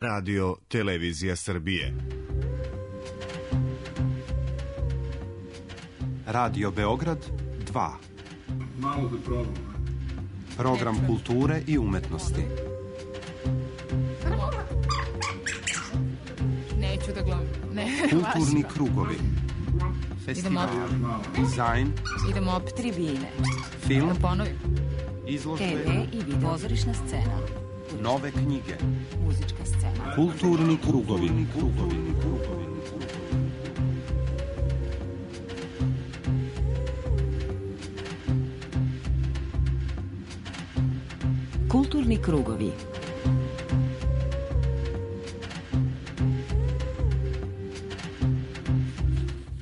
Radio Televizija Srbije. Radio Beograd 2. Malo da probam. Program kulture i umetnosti. Neću da gledam. Kulturni krugovi. Festival, dizajn. Idemo opet tribine. Film. Da ponovim. Izložbe. TV i video. Pozorišna scena. Nove knjige. Muzička scena. Kulturni krugovi. Kulturni krugovi.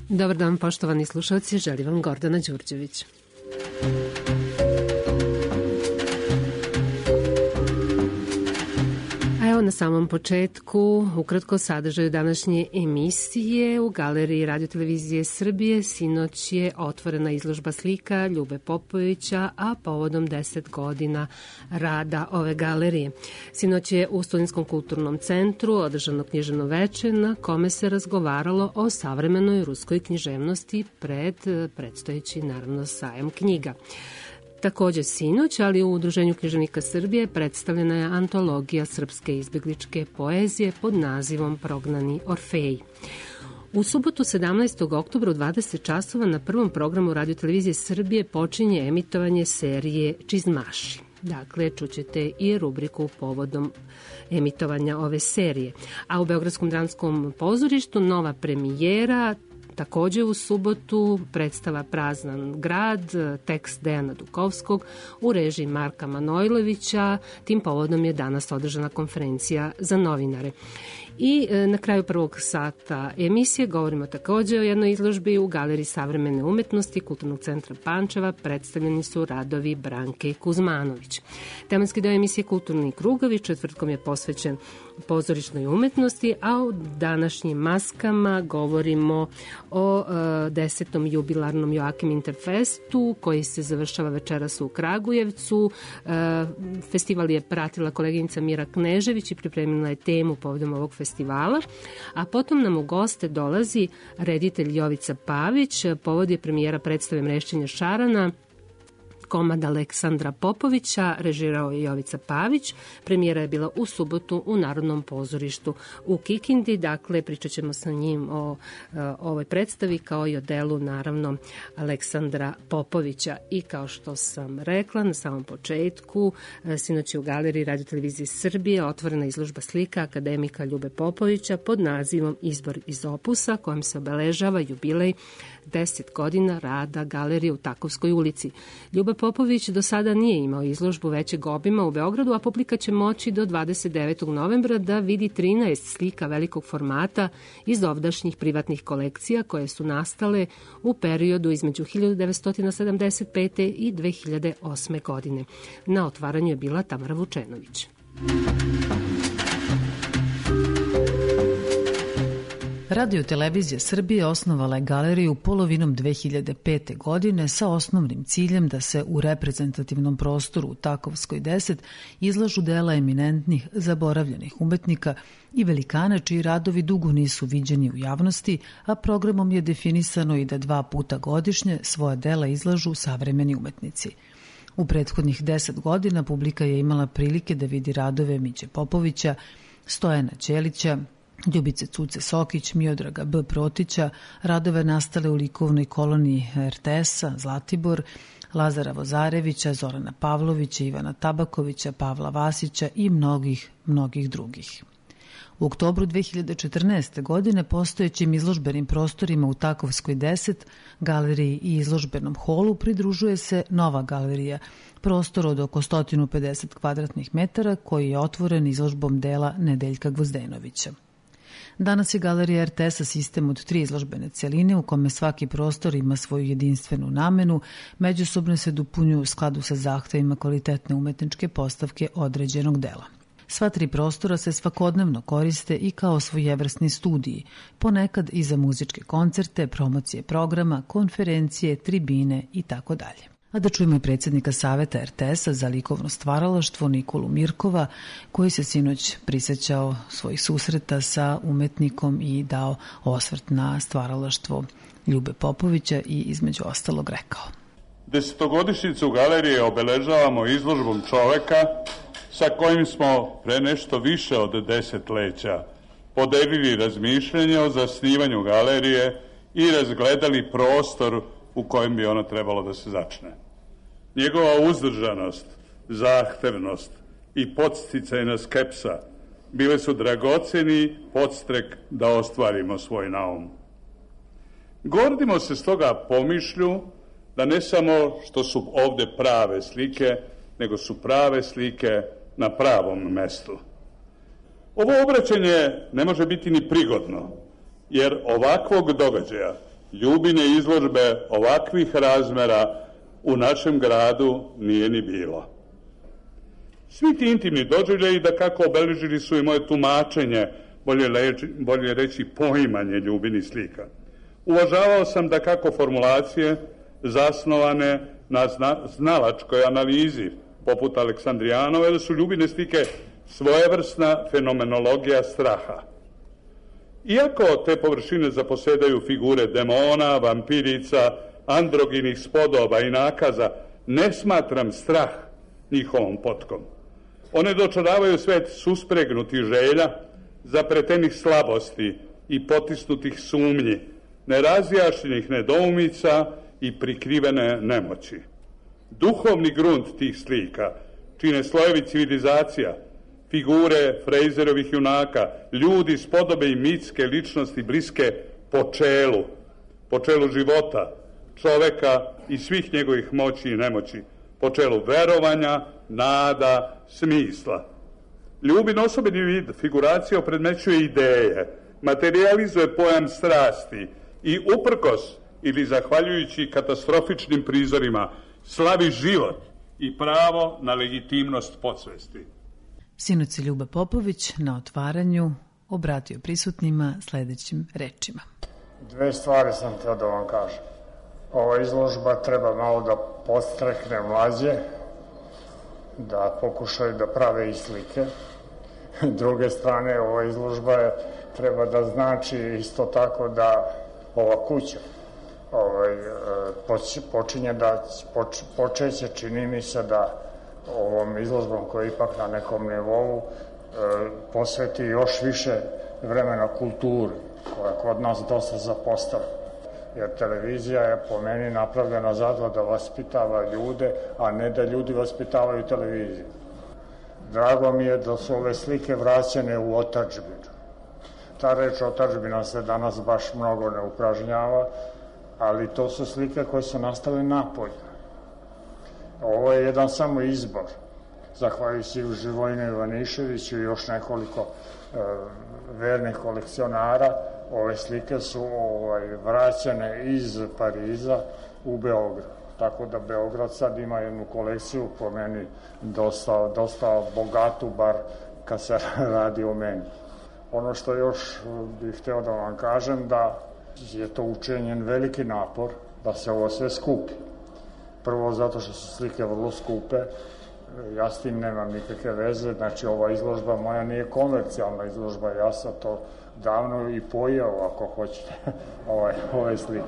Dobar dan, poštovani slušalci, želim vam Gordana Đurđević. Na samom početku, ukratko sadržaju današnje emisije. U Galeriji Radio Televizije Srbije sinoć je otvorena izložba slika Ljube Popovića, a povodom 10 godina rada ove galerije. Sinoć je u Studentskom kulturnom centru održano književno veče na kome se razgovaralo o savremenoj ruskoj književnosti pred predstojeći naravno sajam knjiga. Takođe sinoć, ali u Udruženju književnika Srbije predstavljena je antologija srpske izbegličke poezije pod nazivom Prognani Orfeji. U subotu 17. oktobra u 20 časova na prvom programu Radio Televizije Srbije počinje emitovanje serije Čizmaši. Dakle, čućete i rubriku povodom emitovanja ove serije. A u Beogradskom dramskom pozorištu nova premijera. Takođe u subotu predstava Prazan grad, tekst Dejana Dukovskog u režiji Marka Manojlovića. Tim povodom je danas održana konferencija za novinare. I na kraju prvog sata emisije govorimo takođe o jednoj izložbi u Galeriji savremene umetnosti Kulturnog centra Pančeva. Predstavljeni su radovi Branke Kuzmanović. Tematski deo emisije Kulturni krugovi četvrtkom je posvećen pozorišnoj umetnosti, a u današnjim maskama govorimo o 10. jubilarnom Joakim Interfestu koji se završava večeras u Kragujevcu. Festival je pratila koleginica Mira Knežević i pripremila je temu povodom ovog festivala, a potom nam u goste dolazi reditelj Jovica Pavić. Povod je premijera predstave Mrešćenja šarana, komad Aleksandra Popovića, režirao je Jovica Pavić. Premijera je bila u subotu u Narodnom pozorištu u Kikindi. Dakle, pričat ćemo sa njim o ovoj predstavi kao i o delu, naravno, Aleksandra Popovića. I kao što sam rekla na samom početku, sinoć je u Galeriji Radio Televizije Srbije otvorena izložba slika akademika Ljube Popovića pod nazivom Izbor iz opusa, kojom se obeležava jubilej 10 godina rada galerije u Takovskoj ulici. Ljuba Popović do sada nije imao izložbu većeg obima u Beogradu, a publika će moći do 29. novembra da vidi 13 slika velikog formata iz ovdašnjih privatnih kolekcija koje su nastale u periodu između 1975. i 2008. godine. Na otvaranju je bila Tamara Vučenović. Radio Televizija Srbije osnovala je galeriju polovinom 2005. godine sa osnovnim ciljem da se u reprezentativnom prostoru u Takovskoj 10 izlažu dela eminentnih, zaboravljenih umetnika i velikana čiji radovi dugo nisu viđeni u javnosti, a programom je definisano i da 2 puta godišnje svoja dela izlažu savremeni umetnici. U prethodnih 10 godina publika je imala prilike da vidi radove Miće Popovića, Stojana Ćelića, Ljubice Cuce Sokić, Miodraga B. Protića, radove nastale u likovnoj koloniji RTS-a, Zlatibor, Lazara Vozarevića, Zorana Pavlovića, Ivana Tabakovića, Pavla Vasića i mnogih drugih. U oktobru 2014. godine postojećim izložbenim prostorima u Takovskoj 10, galeriji i izložbenom holu pridružuje se nova galerija, prostor od oko 150 kvadratnih metara koji je otvoren izložbom dela Nedeljka Gvozdenovića. Danas je galerija RTS-a sistem od 3 izložbene celine u kome svaki prostor ima svoju jedinstvenu namenu, međusobno se dopunjuju u skladu sa zahtevima kvalitetne umetničke postavke određenog dela. Sva 3 prostora se svakodnevno koriste i kao svojevrsni studiji, ponekad i za muzičke koncerte, promocije programa, konferencije, tribine itd. A da čujemo i predsjednika Saveta RTS-a za likovno stvaralaštvo Nikolu Mirkova, koji se sinoć prisjećao svojih susreta sa umetnikom i dao osvrt na stvaralaštvo Ljube Popovića i između ostalog rekao: Desetogodišnjicu galerije obeležavamo izložbom čoveka sa kojim smo pre nešto više od desetleća podelili razmišljanje o zasnivanju galerije i razgledali prostor u kojem bi ona trebalo da se začne. Njegova uzdržanost, zahtevnost i podsticajna skepsa bile su dragoceni podstrek da ostvarimo svoj naum. Gordimo se stoga pomišlju da ne samo što su ovde prave slike, nego su prave slike na pravom mestu. Ovo obraćanje ne može biti ni prigodno, jer ovakvog događaja, Ljubine izložbe ovakvih razmera u našem gradu nije ni bilo. Svi ti intimni doživljaji da kako obeležili su i moje tumačenje, bolje reći poimanje Ljubinih slika. Uvažavao sam da kako formulacije zasnovane na znalačkoj analizi, poput Aleksandrijanove, da su Ljubine slike svojevrsna fenomenologija straha. Iako te površine zaposedaju figure demona, vampirica, androginih spodoba i nakaza, ne smatram strah njihovom potkom. One dočaravaju svet suspregnutih želja, zapletenih slabosti i potisnutih sumnji, nerazjašnjenih nedoumica i prikrivene nemoći. Duhovni grunt tih slika čine slojevi civilizacija, figure Frejzerovih junaka, ljudi spodobe i mitske ličnosti bliske po čelu života, čoveka i svih njegovih moći i nemoći, po čelu verovanja, nada, smisla. Ljubin osobeni vid figuracije opredmećuje ideje, materializuje pojam strasti i uprkos ili zahvaljujući katastrofičnim prizorima slavi život i pravo na legitimnost podsvesti. Sinoć se Ljuba Popović na otvaranju obratio prisutnima sledećim rečima. Dve stvari sam htio da vam kažem. Ova izložba treba malo da podstrekne mlađe, da pokušaju da prave i slike. Druge strane, ova izložba treba da znači isto tako da ova kuća počeće, čini mi se da ovom izložbom koja je ipak na nekom nivou posveti još više vremena kulturi, koja kod nas dosta zapostavlja. Jer televizija je po meni napravljena zato da vaspitava ljude, a ne da ljudi vaspitavaju televiziju. Drago mi je da su ove slike vraćene u otadžbinu. Ta reč otadžbina se danas baš mnogo ne upražnjava, ali to su slike koje su nastale napolje. Ovo je jedan samo izbor. Zahvaljujući Živojinu Ivaniševiću i još nekoliko vernih kolekcionara, ove slike su vraćene iz Pariza u Beograd. Tako da Beograd sad ima jednu kolekciju, po meni dosta bogatu, bar kad se radi o meni. Ono što još bih hteo da vam kažem, da je to učinjen veliki napor da se ovo sve skupi. Prvo zato što su slike vrlo skupe, ja s tim nemam nikakve veze, znači ova izložba moja nije komercijalna izložba, ja sam to davno i pojao, ako hoćete, ove slike.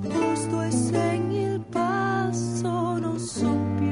Posto e segni il passo, non so più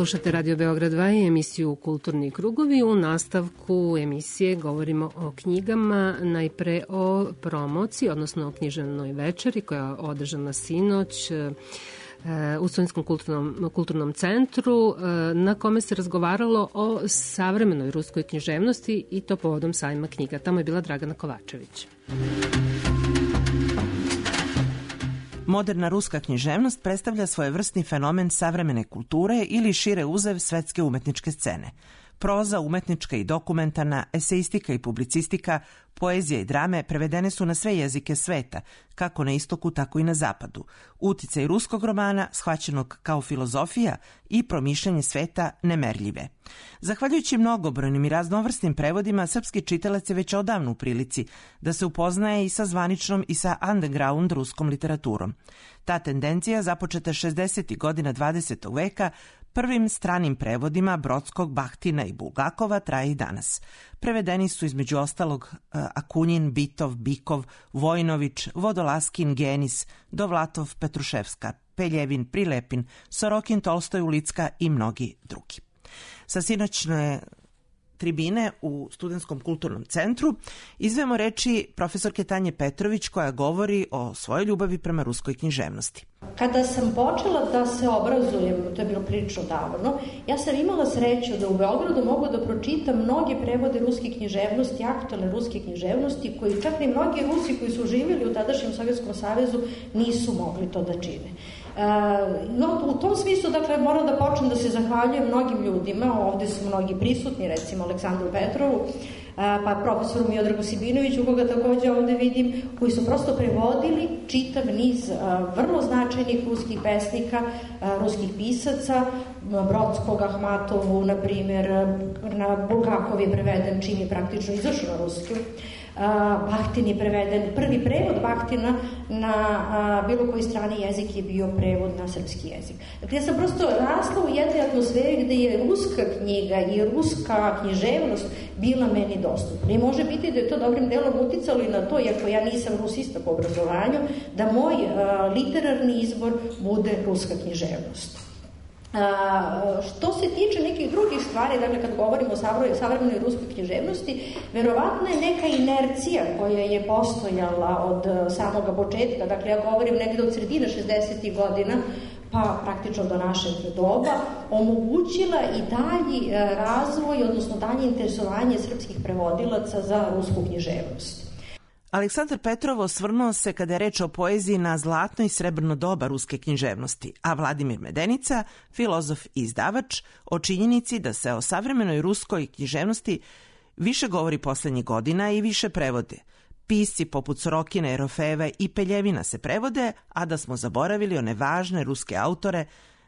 Slušate Radio Beograd 2 i emisiju Kulturni krugovi. U nastavku emisije govorimo o knjigama, najpre o promociji, odnosno o književnoj večeri koja je održana sinoć u Studentskom kulturnom centru, na kome se razgovaralo o savremenoj ruskoj književnosti i to povodom sajma knjiga. Tamo je bila Dragana Kovačević. Moderna ruska književnost predstavlja svojevrsni fenomen savremene kulture ili šire uzev svetske umetničke scene. Proza, umetnička i dokumentarna, eseistika i publicistika, poezija i drame prevedene su na sve jezike sveta, kako na istoku, tako i na zapadu. Uticaj ruskog romana, shvaćenog kao filozofija i promišljanje sveta, nemerljive. Zahvaljujući mnogobrojnim i raznovrsnim prevodima, srpski čitalac je već odavno u prilici da se upoznaje i sa zvaničnom i sa underground ruskom literaturom. Ta tendencija, započeta 60. godina 20. veka, prvim stranim prevodima Brodskog, Bahtina i Bulgakova, traje i danas. Prevedeni su između ostalog Akunjin, Bitov, Bikov, Vojnović, Vodolaskin, Genis, Dovlatov, Petruševska, Peljevin, Prilepin, Sorokin, Tolstoj, Ulicka i mnogi drugi. Sa sinoćne tribine u Studentskom kulturnom centru izvemo reči profesorke Tanje Petrović koja govori o svojoj ljubavi prema ruskoj književnosti. Kada sam počela da se obrazujem, to je bilo prilično davno, ja sam imala sreću da u Beogradu mogu da pročitam mnoge prevode ruske književnosti, aktualne ruske književnosti, koji čak i mnogi Rusi koji su živjeli u tadašnjem Sovjetskom savezu nisu mogli to da čine. No, u tom smislu, dakle, moram da počnem da se zahvaljujem mnogim ljudima, ovde su mnogi prisutni, recimo Aleksandru Petrovu, pa profesoru Miodragu Sibinoviću, koga takođe ovde vidim, koji su prosto prevodili čitav niz vrlo značajnih ruskih pesnika, ruskih pisaca, Brodskog, Ahmatovu, na primjer, na Bulgakov je preveden, čim je praktično izašao na ruski. Bahtin je preveden, prvi prevod Bahtina na bilo koji strani jezik je bio prevod na srpski jezik. Dakle, ja sam prosto rasla u jednoj atmosferi gde je ruska knjiga i ruska književnost bila meni dostupna. I može biti da je to dobrim delom uticalo i na to, iako ja nisam rusista po obrazovanju, da moj literarni izbor bude ruska književnost. Što se tiče nekih drugih stvari, dakle kad govorimo o savremenoj ruskoj književnosti, verovatno je neka inercija koja je postojala od samoga početka, dakle ja govorim negde od sredine 60. godina, pa praktično do našeg doba, omogućila i dalji razvoj, odnosno dalje interesovanje srpskih prevodilaca za rusku književnost. Aleksandar Petrov osvrnuo se kada je reč o poeziji na zlatno i srebrno doba ruske književnosti, a Vladimir Medenica, filozof i izdavač, o činjenici da se o savremenoj ruskoj književnosti više govori poslednjih godina i više prevode. Pisci poput Sorokina, Erofeeva i Peljevina se prevode, a da smo zaboravili one važne ruske autore.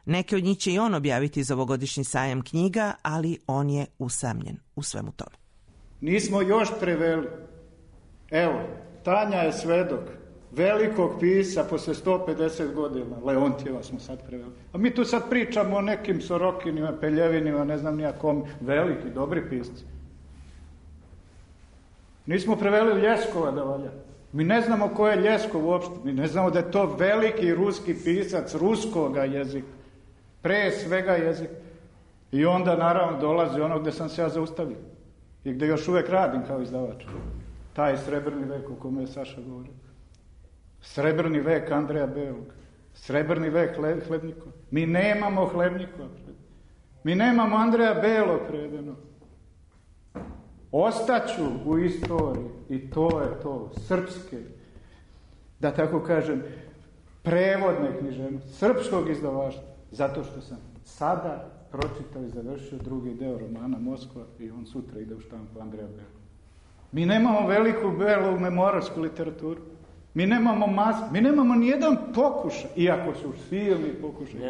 Neke od njih će i on objaviti za ovogodišnji sajam knjiga, ali on je usamljen u svemu tome. Nismo još preveli. Evo, Tanja je svedok velikog pisa posle 150 godina. Leontjeva smo sad preveli. A mi tu sad pričamo o nekim Sorokinima, Peljevinima, ne znam nijakom, veliki, dobri pisci. Nismo preveli Ljeskova da valja. Mi ne znamo ko je Ljeskov uopšte. Mi ne znamo da je to veliki ruski pisac ruskoga jezika. Pre svega jezika. I onda naravno dolazi ono gde sam se ja zaustavio. I gde još uvek radim kao izdavač. Taj srebrni vek o kome je Saša govorio. Srebrni vek Andreja Belog. Srebrni vek Hlebnikova. Mi nemamo Hlebnikova. Mi nemamo Andreja Belog prevedeno. Ostaću u istoriji i to je to. Srpske, da tako kažem, prevodne književnosti, srpskog izdavaštva. Zato što sam sada pročitao i završio drugi deo romana Moskva i on sutra ide u štampu Andreja Belog. Mi nemamo veliku belu memorarsku literaturu. Mi nemamo mi nemamo nijedan pokušaj, iako su silni pokušaj.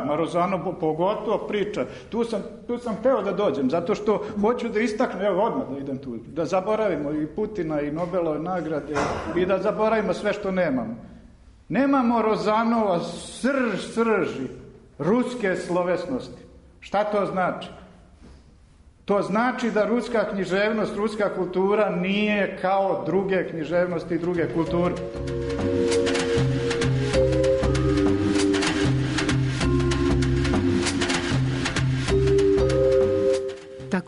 Marozano pogotovo priča. Tu sam hteo da dođem, zato što hoću da istaknem, evo odmah da idem tu, da zaboravimo i Putina i Nobelove nagrade i da zaboravimo sve što nemamo. Nemamo Rozanova srži ruske slovesnosti. Šta to znači? To znači da ruska književnost, ruska kultura nije kao druge književnosti i druge kulture.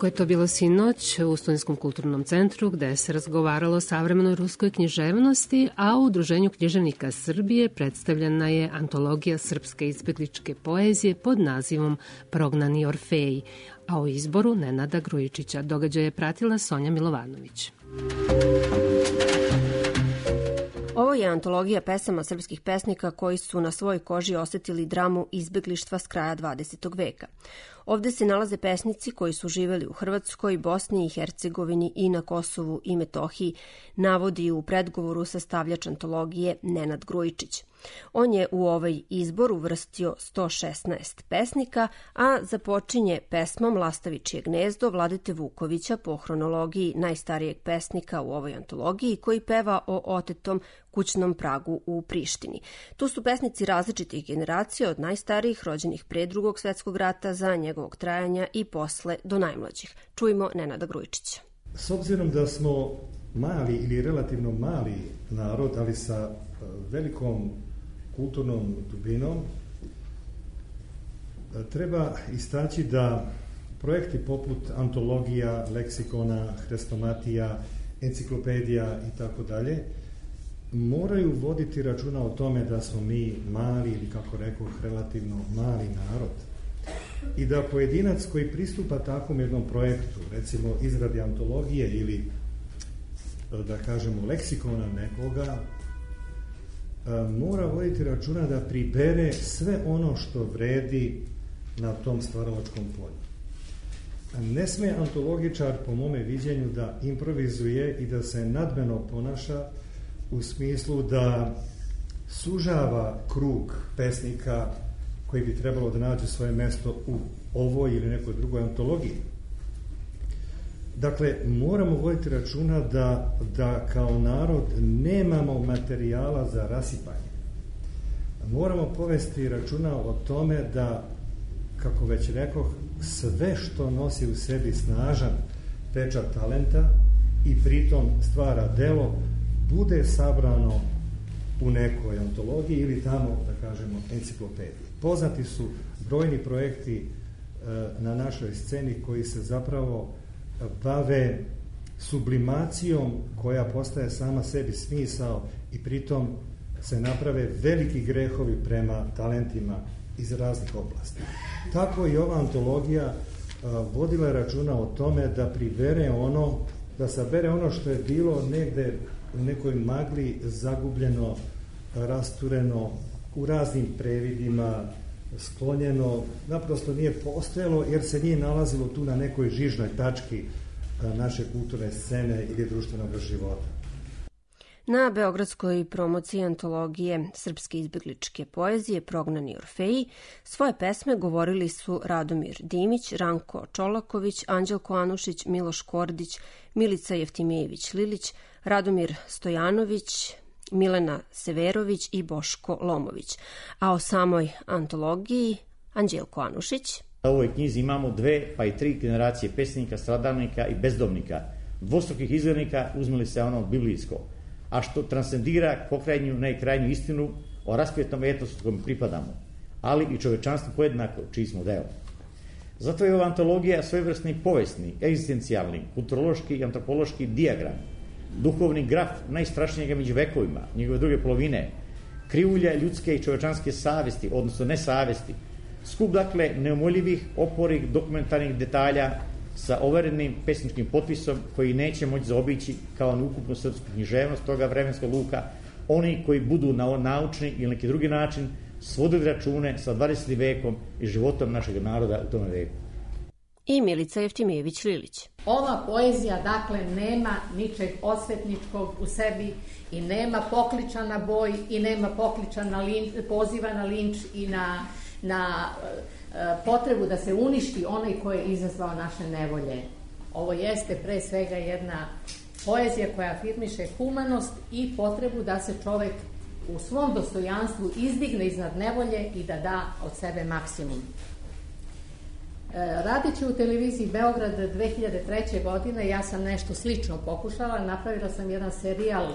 Tako je to bilo sinoć u Studentskom kulturnom centru gde se razgovaralo o savremenoj ruskoj književnosti, a u Udruženju književnika Srbije predstavljena je antologija srpske izbegličke poezije pod nazivom Prognani Orfeji, a o izboru Nenada Grujičića događaj je pratila Sonja Milovanović. Ovo je antologija pesama srpskih pesnika koji su na svojoj koži osetili dramu izbeglištva s kraja 20. veka. Ovde se nalaze pesnici koji su živeli u Hrvatskoj, Bosni i Hercegovini i na Kosovu i Metohiji, navodi u predgovoru sastavljač antologije Nenad Grujičić. On je u ovaj izbor uvrstio 116 pesnika, a započinje pesmom Lastavičije gnezdo Vladete Vukovića po hronologiji najstarijeg pesnika u ovoj antologiji koji peva o otetom kućnom pragu u Prištini. Tu su pesnici različitih generacija od najstarijih rođenih pre Drugog svetskog rata za njegovog trajanja i posle do najmlađih. Čujmo Nenada Grujičića. S obzirom da smo mali ili relativno mali narod, ali sa velikom kulturnom dubinom, treba istaći da projekti poput antologija, leksikona, hrestomatija, enciklopedija i tako dalje moraju voditi računa o tome da smo mi mali ili, kako rekoh, relativno mali narod i da pojedinac koji pristupa takvom jednom projektu, recimo izradi antologije ili, da kažemo, leksikona nekoga, mora voditi računa da pribere sve ono što vredi na tom stvaralačkom polju. Ne sme antologičar, po mome viđenju, da improvizuje i da se nadmeno ponaša u smislu da sužava krug pesnika koji bi trebalo da nađe svoje mesto u ovoj ili nekoj drugoj antologiji. Dakle, moramo voditi računa da kao narod nemamo materijala za rasipanje. Moramo povesti računa o tome da, kako već rekoh, sve što nosi u sebi snažan pečat talenta i pritom stvara delo, bude sabrano u nekoj antologiji ili tamo, da kažemo, enciklopediji. Poznati su brojni projekti na našoj sceni koji se zapravo bave sublimacijom koja postaje sama sebi smisao i pritom se naprave veliki grehovi prema talentima iz raznih oblasti. Tako i ova antologija vodila računa o tome da pribere ono, da sabere ono što je bilo negde u nekoj magli zagubljeno, rastureno, u raznim previdima, sklonjeno, naprosto nije postojalo jer se nije nalazilo tu na nekoj žižnoj tački naše kulturne scene ili društvenog života. Na beogradskoj promociji antologije srpske izbegličke poezije Prognani Orfeji svoje pesme govorili su Radomir Dimić, Ranko Čolaković, Anđelko Anušić, Miloš Kordić, Milica Jeftimijević-Lilić, Radomir Stojanović, Milena Severović i Boško Lomović. A o samoj antologiji Anđelko Anušić. U ovoj knjizi imamo 2 pa i 3 generacije pesnika, stradalnika i bezdomnika, dvostrukih izglednika, uzmeli se ono biblijsko, a što transcendira pokrajnju najkrajnju istinu o raspjetnom etosu kojem pripadamo, ali i čovečanstvo pojednako čiji smo deo. Zato je ova antologija svojevrsni povesni, egzistencijalni, kulturološki i antropološki dijagram, duhovni graf najstrašnijega među vekovima, njegove druge polovine, krivulja ljudske i čovečanske savesti, odnosno nesavesti, skup, dakle, neumoljivih, oporih, dokumentarnih detalja sa overenim pesničkim potpisom koji neće moći zaobići kao neukupnu srpsku književnost toga vremenskog luka, oni koji budu na naučni ili neki drugi način svodili račune sa 20. vekom i životom našeg naroda u tome veku. I Milica Jeftimijević-Lilić. Ova poezija, dakle, nema ničeg osvetničkog u sebi i nema pokliča na boj i nema pokliča na poziva na linč i na potrebu da se uništi onaj koji je izazvao naše nevolje. Ovo jeste pre svega jedna poezija koja afirmiše humanost i potrebu da se čovek u svom dostojanstvu izdigne iznad nevolje i da da od sebe maksimum. Radeći u televiziji Beograd 2003. godine, ja sam nešto slično pokušala. Napravila sam jedan serijal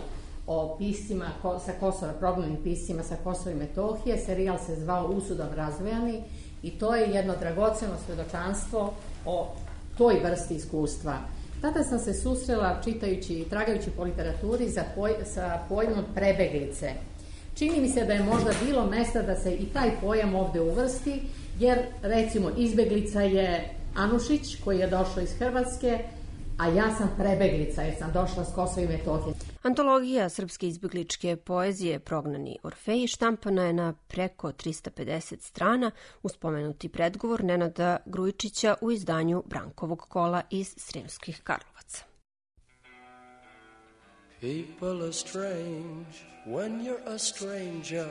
o piscima sa Kosova, prognanim piscima sa Kosova i Metohije. Serijal se zvao Usudom razvojani i to je jedno dragoceno svedočanstvo o toj vrsti iskustva. Tada sam se susrela čitajući i tragajući po literaturi sa pojmom prebeglice. Čini mi se da je možda bilo mesta da se i taj pojam ovde uvrsti, jer recimo izbeglica je Anušić koji je došao iz Hrvatske, a ja sam prebeglica jer sam došla s Kosova i Metohije. Antologija srpske izbegličke poezije Prognani Orfeji štampana je na preko 350 strana uz spomenuti predgovor Nenada Grujičića u izdanju Brankovog kola iz Sremskih Karlovaca. People are strange when you're a stranger.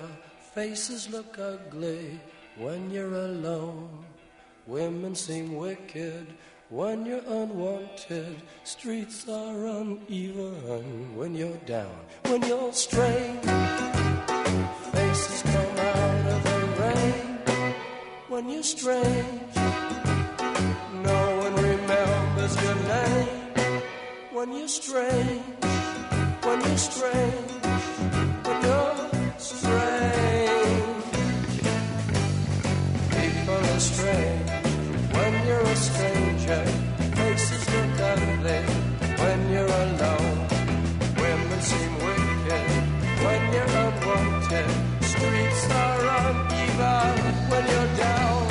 Faces look ugly when you're alone. Women seem wicked when you're unwanted. Streets are uneven when you're down. When you're strange, faces come out of the rain. When you're strange, no one remembers your name. When you're strange, when you're strange, when you're strange. People are strange when you're a stranger. Faces look ugly when you're alone. Women seem wicked when you're unwanted. Streets are uneven when you're down.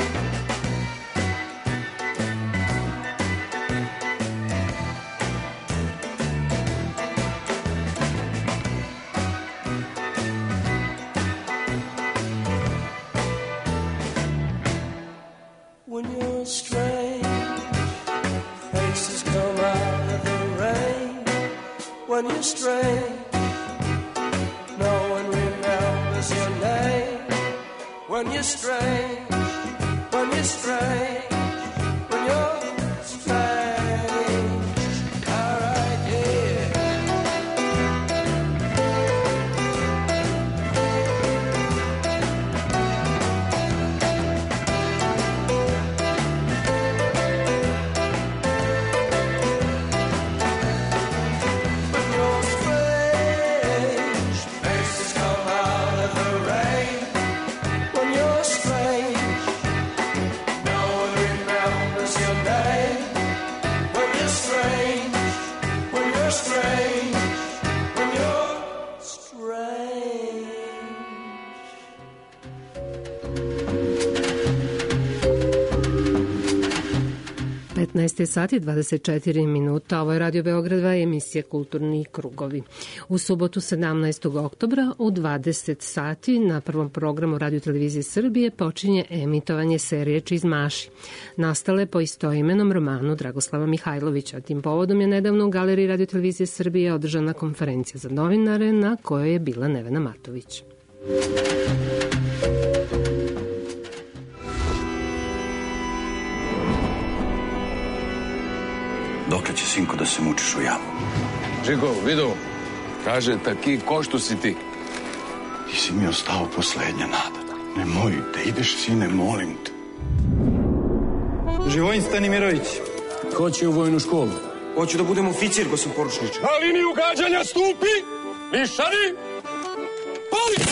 When you're strange, faces come out of the rain. When you're strange, no one remembers your name. When you're strange, when you're strange, when you're strange. All right, yeah. sati 24 minuta. Ovo je Radio Beograd 2, emisija Kulturni krugovi. U subotu 17. oktobra u 20 sati na prvom programu Radio Televizije Srbije počinje emitovanje serije Čizmaši, nastale po istoimenom romanu Dragoslava Mihajlovića. Tim povodom je nedavno u Galeriji Radio Televizije Srbije održana konferencija za novinare na kojoj je bila Nevena Matović. Dokle će, sinko, da se mučiš u jamu? Žiko, vidu, kaže taki ko što si ti. Ti si mi ostao poslednja nada. Nemoj da ideš, sine, molim te. Živojin Stanimirović. Ko će u vojnu školu? Hoću da budem oficir, gospodin poručniče. Na liniju gađanja stupi, nišani, pali!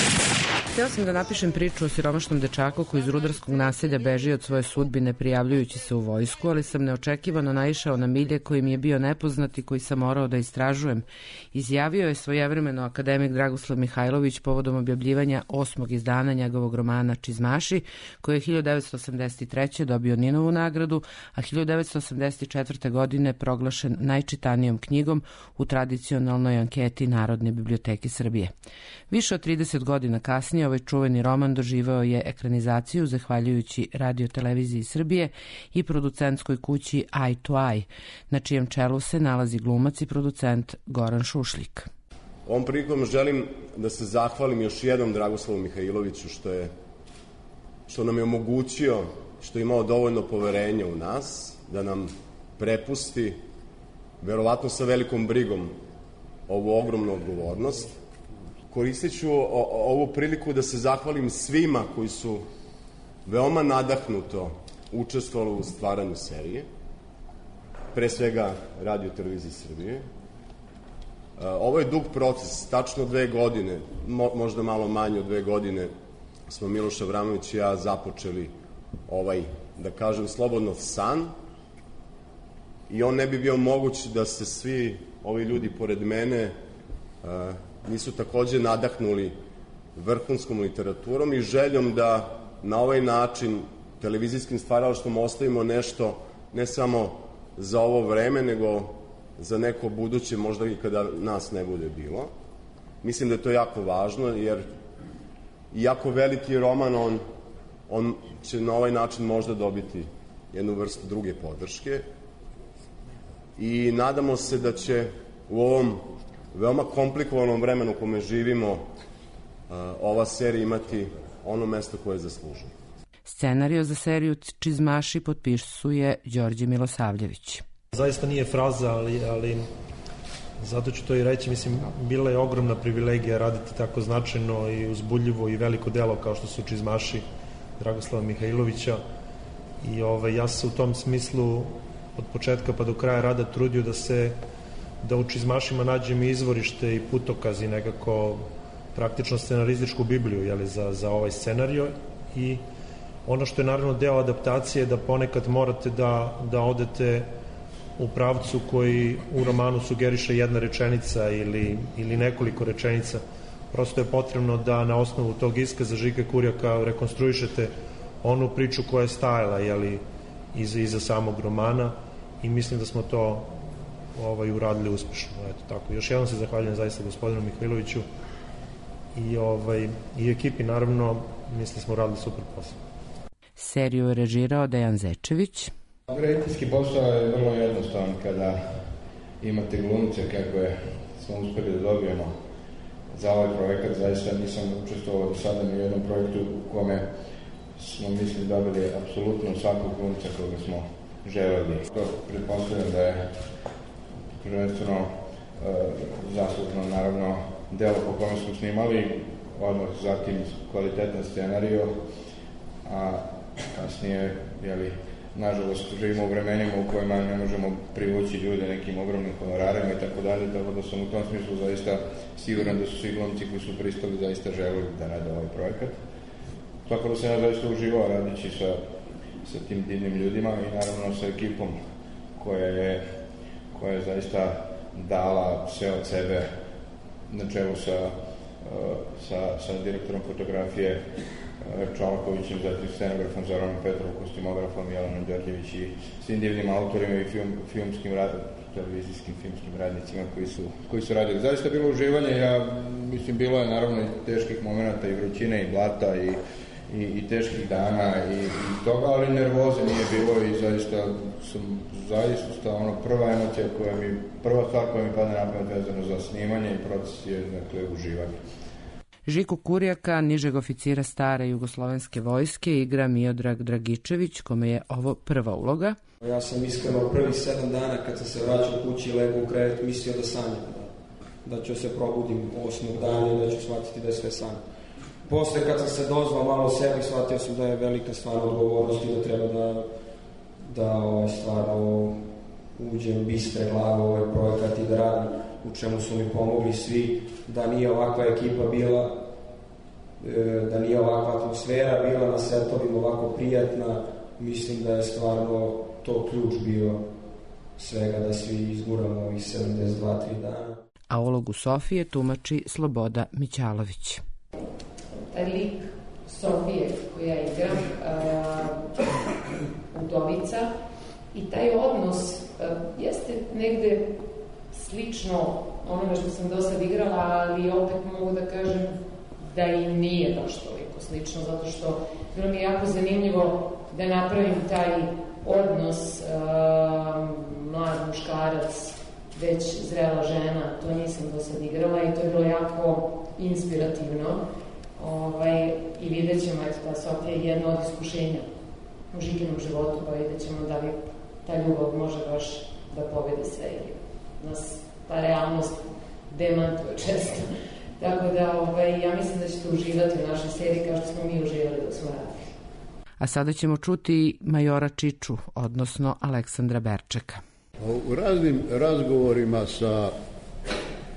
Htio sam da napišem priču o siromašnom dečaku koji iz rudarskog naselja beži od svoje sudbine prijavljujući se u vojsku, ali sam neočekivano naišao na milje koji mi je bio nepoznat i koji sam morao da istražujem. Izjavio je svojevremeno akademik Dragoslav Mihajlović povodom objavljivanja 8. izdanja njegovog romana Čizmaši, koji je 1983. dobio Ninovu nagradu, a 1984. godine proglašen najčitanijom knjigom u tradicionalnoj anketi Narodne biblioteke Srbije. Više od 30 godina kasnije ovaj čuveni roman doživao je ekranizaciju zahvaljujući Radio Televiziji Srbije i producentskoj kući Eye to Eye, na čijem čelu se nalazi glumac i producent Goran Šušljik. Ovom prilikom želim da se zahvalim još jednom Dragoslavu Mihajloviću što nam je omogućio, što je imao dovoljno poverenja u nas, da nam prepusti, verovatno sa velikom brigom, ovu ogromnu odgovornost. Koristit ću ovu priliku da se zahvalim svima koji su veoma nadahnuto učestvovali u stvaranju serije, pre svega Radio Televizije Srbije. Ovo je dug proces, tačno 2 godine, možda malo manje od 2 godine, smo Miloš Avramović i ja započeli ovaj, da kažem, slobodno san i on ne bi bio moguć da se svi ovi ljudi pored mene nisu takođe nadahnuli vrhunskom literaturom i željom da na ovaj način televizijskim stvaralaštvom ostavimo nešto ne samo za ovo vreme, nego za neko buduće, možda i kada nas ne bude bilo. Mislim da je to jako važno, jer jako veliki roman, on će na ovaj način možda dobiti jednu vrstu druge podrške i nadamo se da će u ovom veoma komplikovanom vremenu u kome živimo ova serija imati ono mesto koje zaslužuje. Scenario za seriju Čizmaši potpisuje Đorđe Milosavljević. Zaista nije fraza, ali zato ću to i reći. Mislim, bila je ogromna privilegija raditi tako značajno i uzbudljivo i veliko delo kao što su Čizmaši Dragoslava Mihajlovića. I ja se u tom smislu od početka pa do kraja rada trudio da u Čizmašima nađem izvorište i putokaz i nekako praktično scenarističku bibliju za ovaj scenario. I ono što je naravno deo adaptacije da ponekad morate da odete u pravcu koji u romanu sugeriše jedna rečenica ili nekoliko rečenica. Prosto je potrebno da na osnovu tog iskaza Žike Kurjaka rekonstruišete onu priču koja je stajala iza samog romana i mislim da smo to uradili uspešno. Eto, tako. Još jednom se zahvaljujem zaista gospodinu Mihajloviću i ekipi, naravno, mislim da smo radili super posao. Seriju je režirao Dejan Zečević. Rediteljski posao je vrlo jednostavan kada imate glumce kakve smo uspeli da dobijemo za ovaj projekat. Zaista nisam učestvovao do sada ni u jednom projektu u kome smo dobili apsolutno svakog glumca koga smo želeli. To pretpostavljam da je prvenstveno zaslužno, naravno, delo po kome smo snimali, odmah zatim kvalitetan scenario, a kasnije, nažalost, živimo u vremenima u kojima ne možemo privući ljude nekim ogromnim honorarima i tako dalje, tako da sam u tom smislu zaista siguran da su svi glumci koji su pristali zaista želeli da rade ovaj projekat. Tako da sam ja zaista uživao radići sa tim divnim ljudima i naravno sa ekipom koja je zaista dala sve od sebe na čelu sa direktorom fotografije Čolakovićem, zatim scenografom Zoranom Petrovom, kostimografom Jelenom Đorđević i svim divnim autorima i televizijskim filmskim radnicima koji su radili. Zaista bilo uživanje, mislim, bilo je naravno i teških momenta i vrućine i blata i teških dana i toga, ali nervoze nije bilo i zaista prva emocija prva stvar koja mi padne na pamet vezano za snimanje i proces je, uživanje. Žiku Kurjaka, nižeg oficira stare jugoslovenske vojske, igra Miodrag Dragičević, kome je ovo prva uloga. Ja sam iskreno prvih 7 dana kad sam se vraćao kući i legao u krevet mislio da sanjam, da ću se probudim 8. dana i da ću shvatiti da je sve san. Posle kad sam se dozvao malo sebi, shvatio sam da je velika stvarna odgovornost i da treba da stvarno uđem bistre glave u ovaj projekat i da radim, u čemu su mi pomogli svi, da nije ovakva ekipa bila, da nije ovakva atmosfera bila na setovima ovako prijatna. Mislim da je stvarno to ključ bio svega da svi izguramo ovih 72-3 dana. A ulogu Sofije tumači Sloboda Mićalović. Taj lik Sofije koja igra udovica i taj odnos jeste negde slično onome što sam do sad igrala, ali opet mogu da kažem da i nije baš toliko slično, zato što bilo mi je jako zanimljivo da napravim taj odnos mlad muškarac, već zrela žena, to nisam do sad igrala i to je bilo jako inspirativno. I vidjet ćemo, ta Sofija je jedno od iskušenja u Žikinom životu, pa vidjet ćemo da li ta ljubav može baš da pobedi sve ili nas ta realnost demantuje često. Tako da ja mislim da ćete uživati u našoj seriji kao što smo mi uživali dok smo radili. A sada ćemo čuti majora Čiču, odnosno Aleksandra Berčeka. U raznim razgovorima sa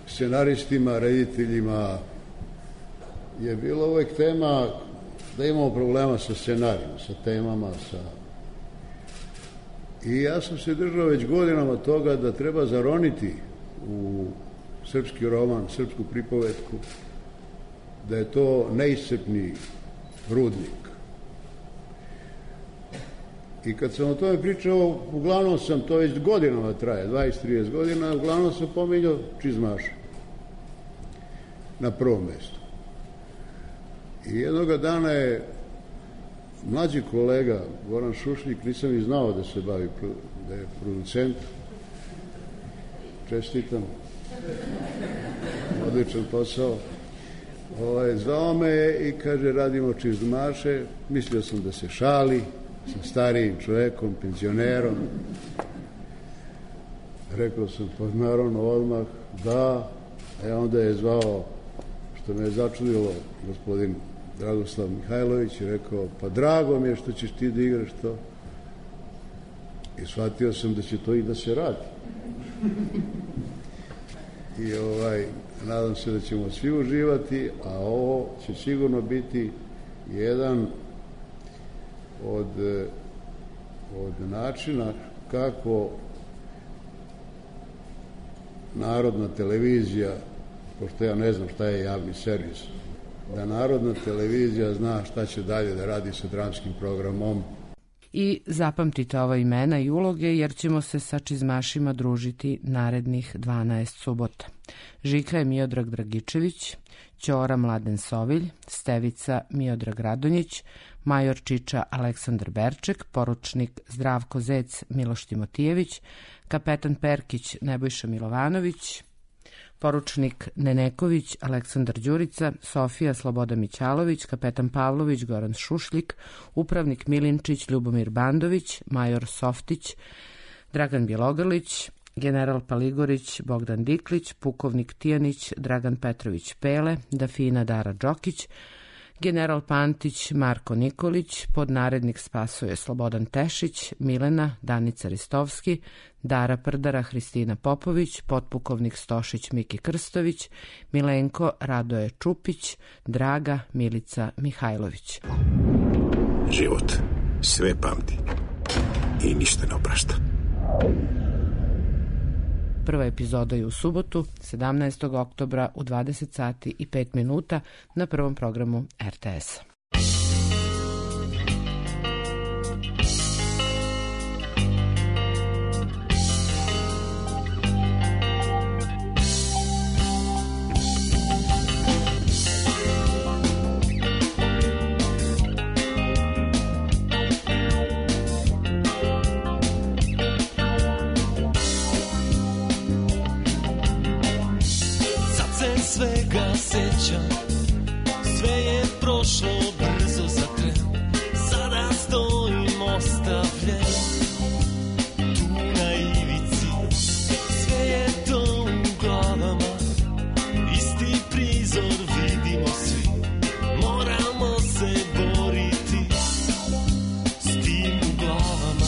scenaristima, rediteljima je bila uvek tema da imamo problema sa scenarijom, sa temama, I ja sam se držao već godinama toga da treba zaroniti u srpski roman, srpsku pripovetku, da je to neiscrpni rudnik. I kad sam o tome pričao, uglavnom sam, to već godinama traje, 20-30 godina, uglavnom sam pominjao čizmaša na prvom mestu. I jednoga dana je mlađi kolega, Goran Šušljik, nisam i znao da se bavi, da je producent, čestitam, odličan posao, zvao me je i kaže radimo čizmaše, mislio sam da se šali sa starijim čovekom, penzionerom. Rekao sam, pa naravno odmah, da, a onda je zvao, što me je začudilo, gospodin Dragoslav Mihajlović, i rekao, pa drago mi je što ćeš ti da igraš to. I shvatio sam da će to i da se radi. I nadam se da ćemo svi uživati, a ovo će sigurno biti jedan od načina kako Narodna televizija, pošto ja ne znam šta je javni servis, da Narodna televizija zna šta će dalje da radi sa dramskim programom. I zapamtite ova imena i uloge, jer ćemo se sa čizmašima družiti narednih 12 subota. Žika je Miodrag Dragičević, Ćora Mladen Sovilj, Stevica Miodrag Radonjić, major Čiča Aleksandar Berček, poručnik Zdravko Zec Miloš Timotijević, kapetan Perkić Nebojša Milovanović, poručnik Neneković Aleksandar Đurica, Sofija Sloboda Mićalović, kapetan Pavlović Goran Šušljik, upravnik Milinčić Ljubomir Bandović, major Softić Dragan Bjelogrlić, general Paligorić Bogdan Diklić, pukovnik Tijanić Dragan Petrović Pele, Dafina Dara Đokić, general Pantić Marko Nikolić, podnarednik Spasoje Slobodan Tešić, Milena Danica Ristovski, Dara Prdara Hristina Popović, potpukovnik Stošić Miki Krstović, Milenko Radoje Čupić, Draga Milica Mihajlović. Život sve pamti i ništa ne oprašta. Prva epizoda je u subotu, 17. oktobra u 20 sati i 5 minuta na prvom programu RTS-a. Svega sećam, sve je prošlo brzo za tren. Sada stojim ostavljen tu na ivici. Sve je to u glavama, isti prizor vidimo svi. Moramo se boriti s tim u glavama.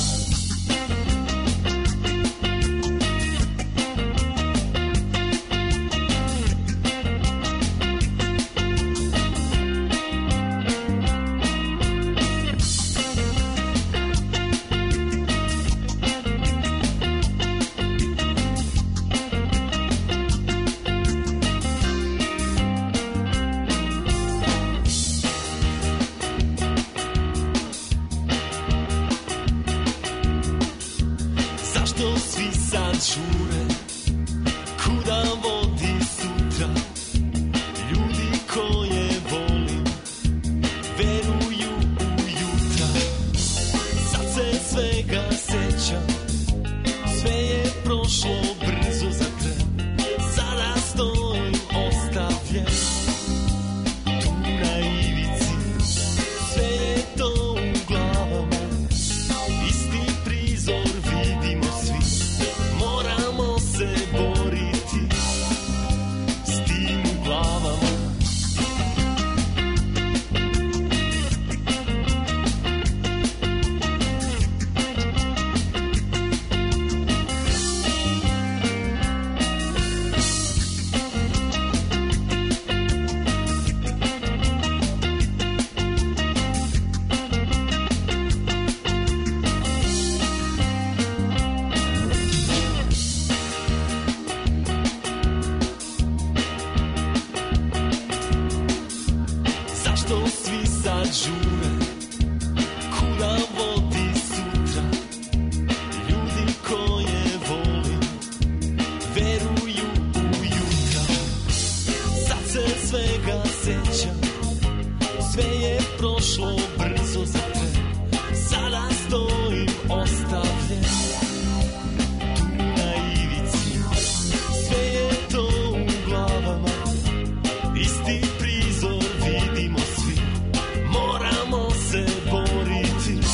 ostavljen tu na ivici. Sve je to u glavama, isti prizor vidimo svi, moramo se boriti.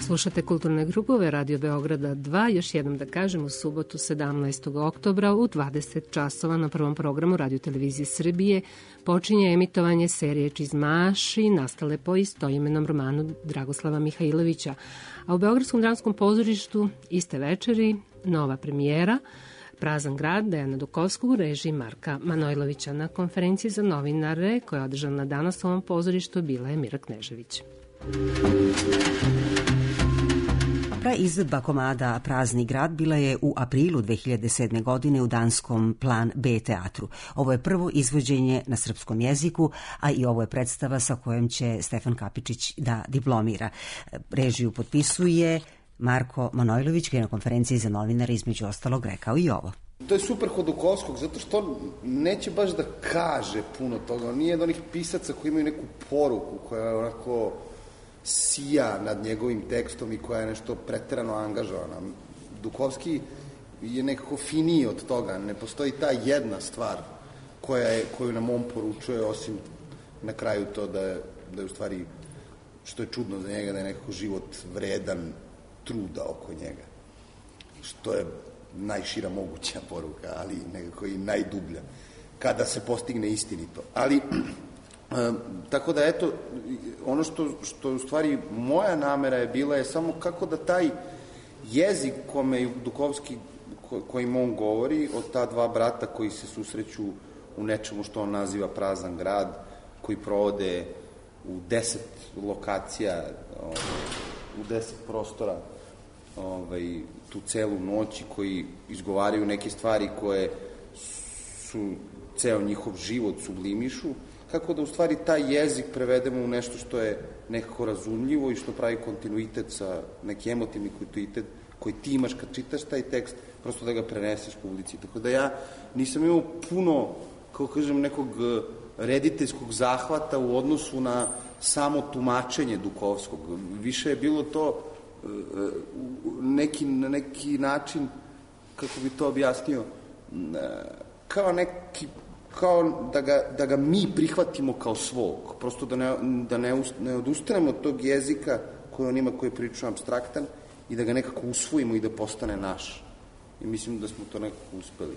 Slušate kulturne grupove Radio Beograda 2, još jednom da kažem, u subotu 17. oktobra u 20 časova na prvom programu Radio Televizije Srbije počinje emitovanje serije Čizmaši nastale po istoimenom romanu Dragoslava Mihajlovića, a u Beogradskom dramskom pozorištu iste večeri nova premijera Prazan grad Dejana Dukovskog u režiji Marka Manojlovića. Na konferenciji za novinare koja je održana danas u ovom pozorištu bila je Mira Knežević. Izvedba komada Prazni grad bila je u aprilu 2007. godine u danskom Plan B teatru. Ovo je prvo izvođenje na srpskom jeziku, a i ovo je predstava sa kojom će Stefan Kapičić da diplomira. Režiju potpisuje Marko Manojlović, koji je na konferenciji za novinare između ostalog rekao i ovo. To je super kod Dukovskog, zato što neće baš da kaže puno toga. On nije od onih pisaca koji imaju neku poruku koja je onako sija nad njegovim tekstom i koja je nešto preterano angažovana. Dukovski je nekako finiji od toga. Ne postoji ta jedna stvar koju nam on poručuje, osim na kraju to da je u stvari, što je čudno za njega, da je nekako život vredan truda oko njega. Što je najšira moguća poruka, ali nekako i najdublja, kada se postigne istinito. Ali tako da, eto, ono što u stvari moja namera je bila je samo kako da taj jezik kome Dukovski, kojim on govori, od ta dva brata koji se susreću u nečemu što on naziva Prazan grad, koji provode u 10 lokacija, u 10 prostora, tu celu noć, koji izgovaraju neke stvari koje su ceo njihov život sublimišu, kako da u stvari taj jezik prevedemo u nešto što je nekako razumljivo i što pravi kontinuitet sa neki emotivni kontinuitet koji ti imaš kad čitaš taj tekst, prosto da ga preneseš publici. Tako da ja nisam imao puno, kako kažem, nekog rediteljskog zahvata u odnosu na samo tumačenje Dukovskog. Više je bilo to na neki način, kako bi to objasnio, kao da ga mi prihvatimo kao svog, prosto da ne odustanemo od tog jezika koji on ima, koji je prilično apstraktan, i da ga nekako usvojimo i da postane naš. I mislim da smo to nekako uspeli.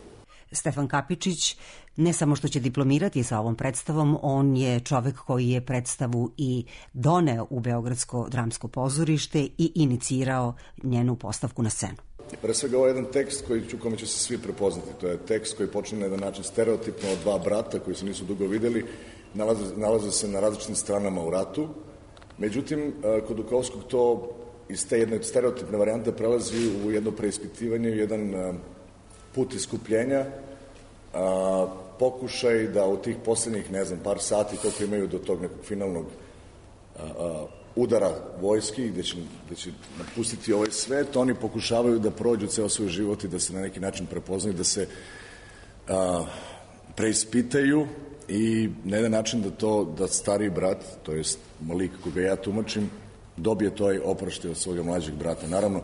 Stefan Kapičić ne samo što će diplomirati sa ovom predstavom, on je čovek koji je predstavu i doneo u Beogradsko dramsko pozorište i inicirao njenu postavku na scenu. Pre svega, ovo je jedan tekst kome će se svi prepoznati. To je tekst koji počne na jedan način stereotipno od dva brata koji se nisu dugo videli, nalaze se na različitim stranama u ratu. Međutim, kod Dukovskog to iz te jedne stereotipne varijante prelazi u jedno preispitivanje, u jedan put iskupljenja, pokušaj da u tih poslednjih, ne znam, par sati koliko imaju do tog nekog finalnog udara vojski, gde će napustiti ovaj svet, oni pokušavaju da prođu ceo svoj život i da se na neki način prepoznaju, da se preispitaju i na jedan način da stariji brat, to jest lik koga ja tumačim, dobije toj oproštaj od svoga mlađeg brata. Naravno,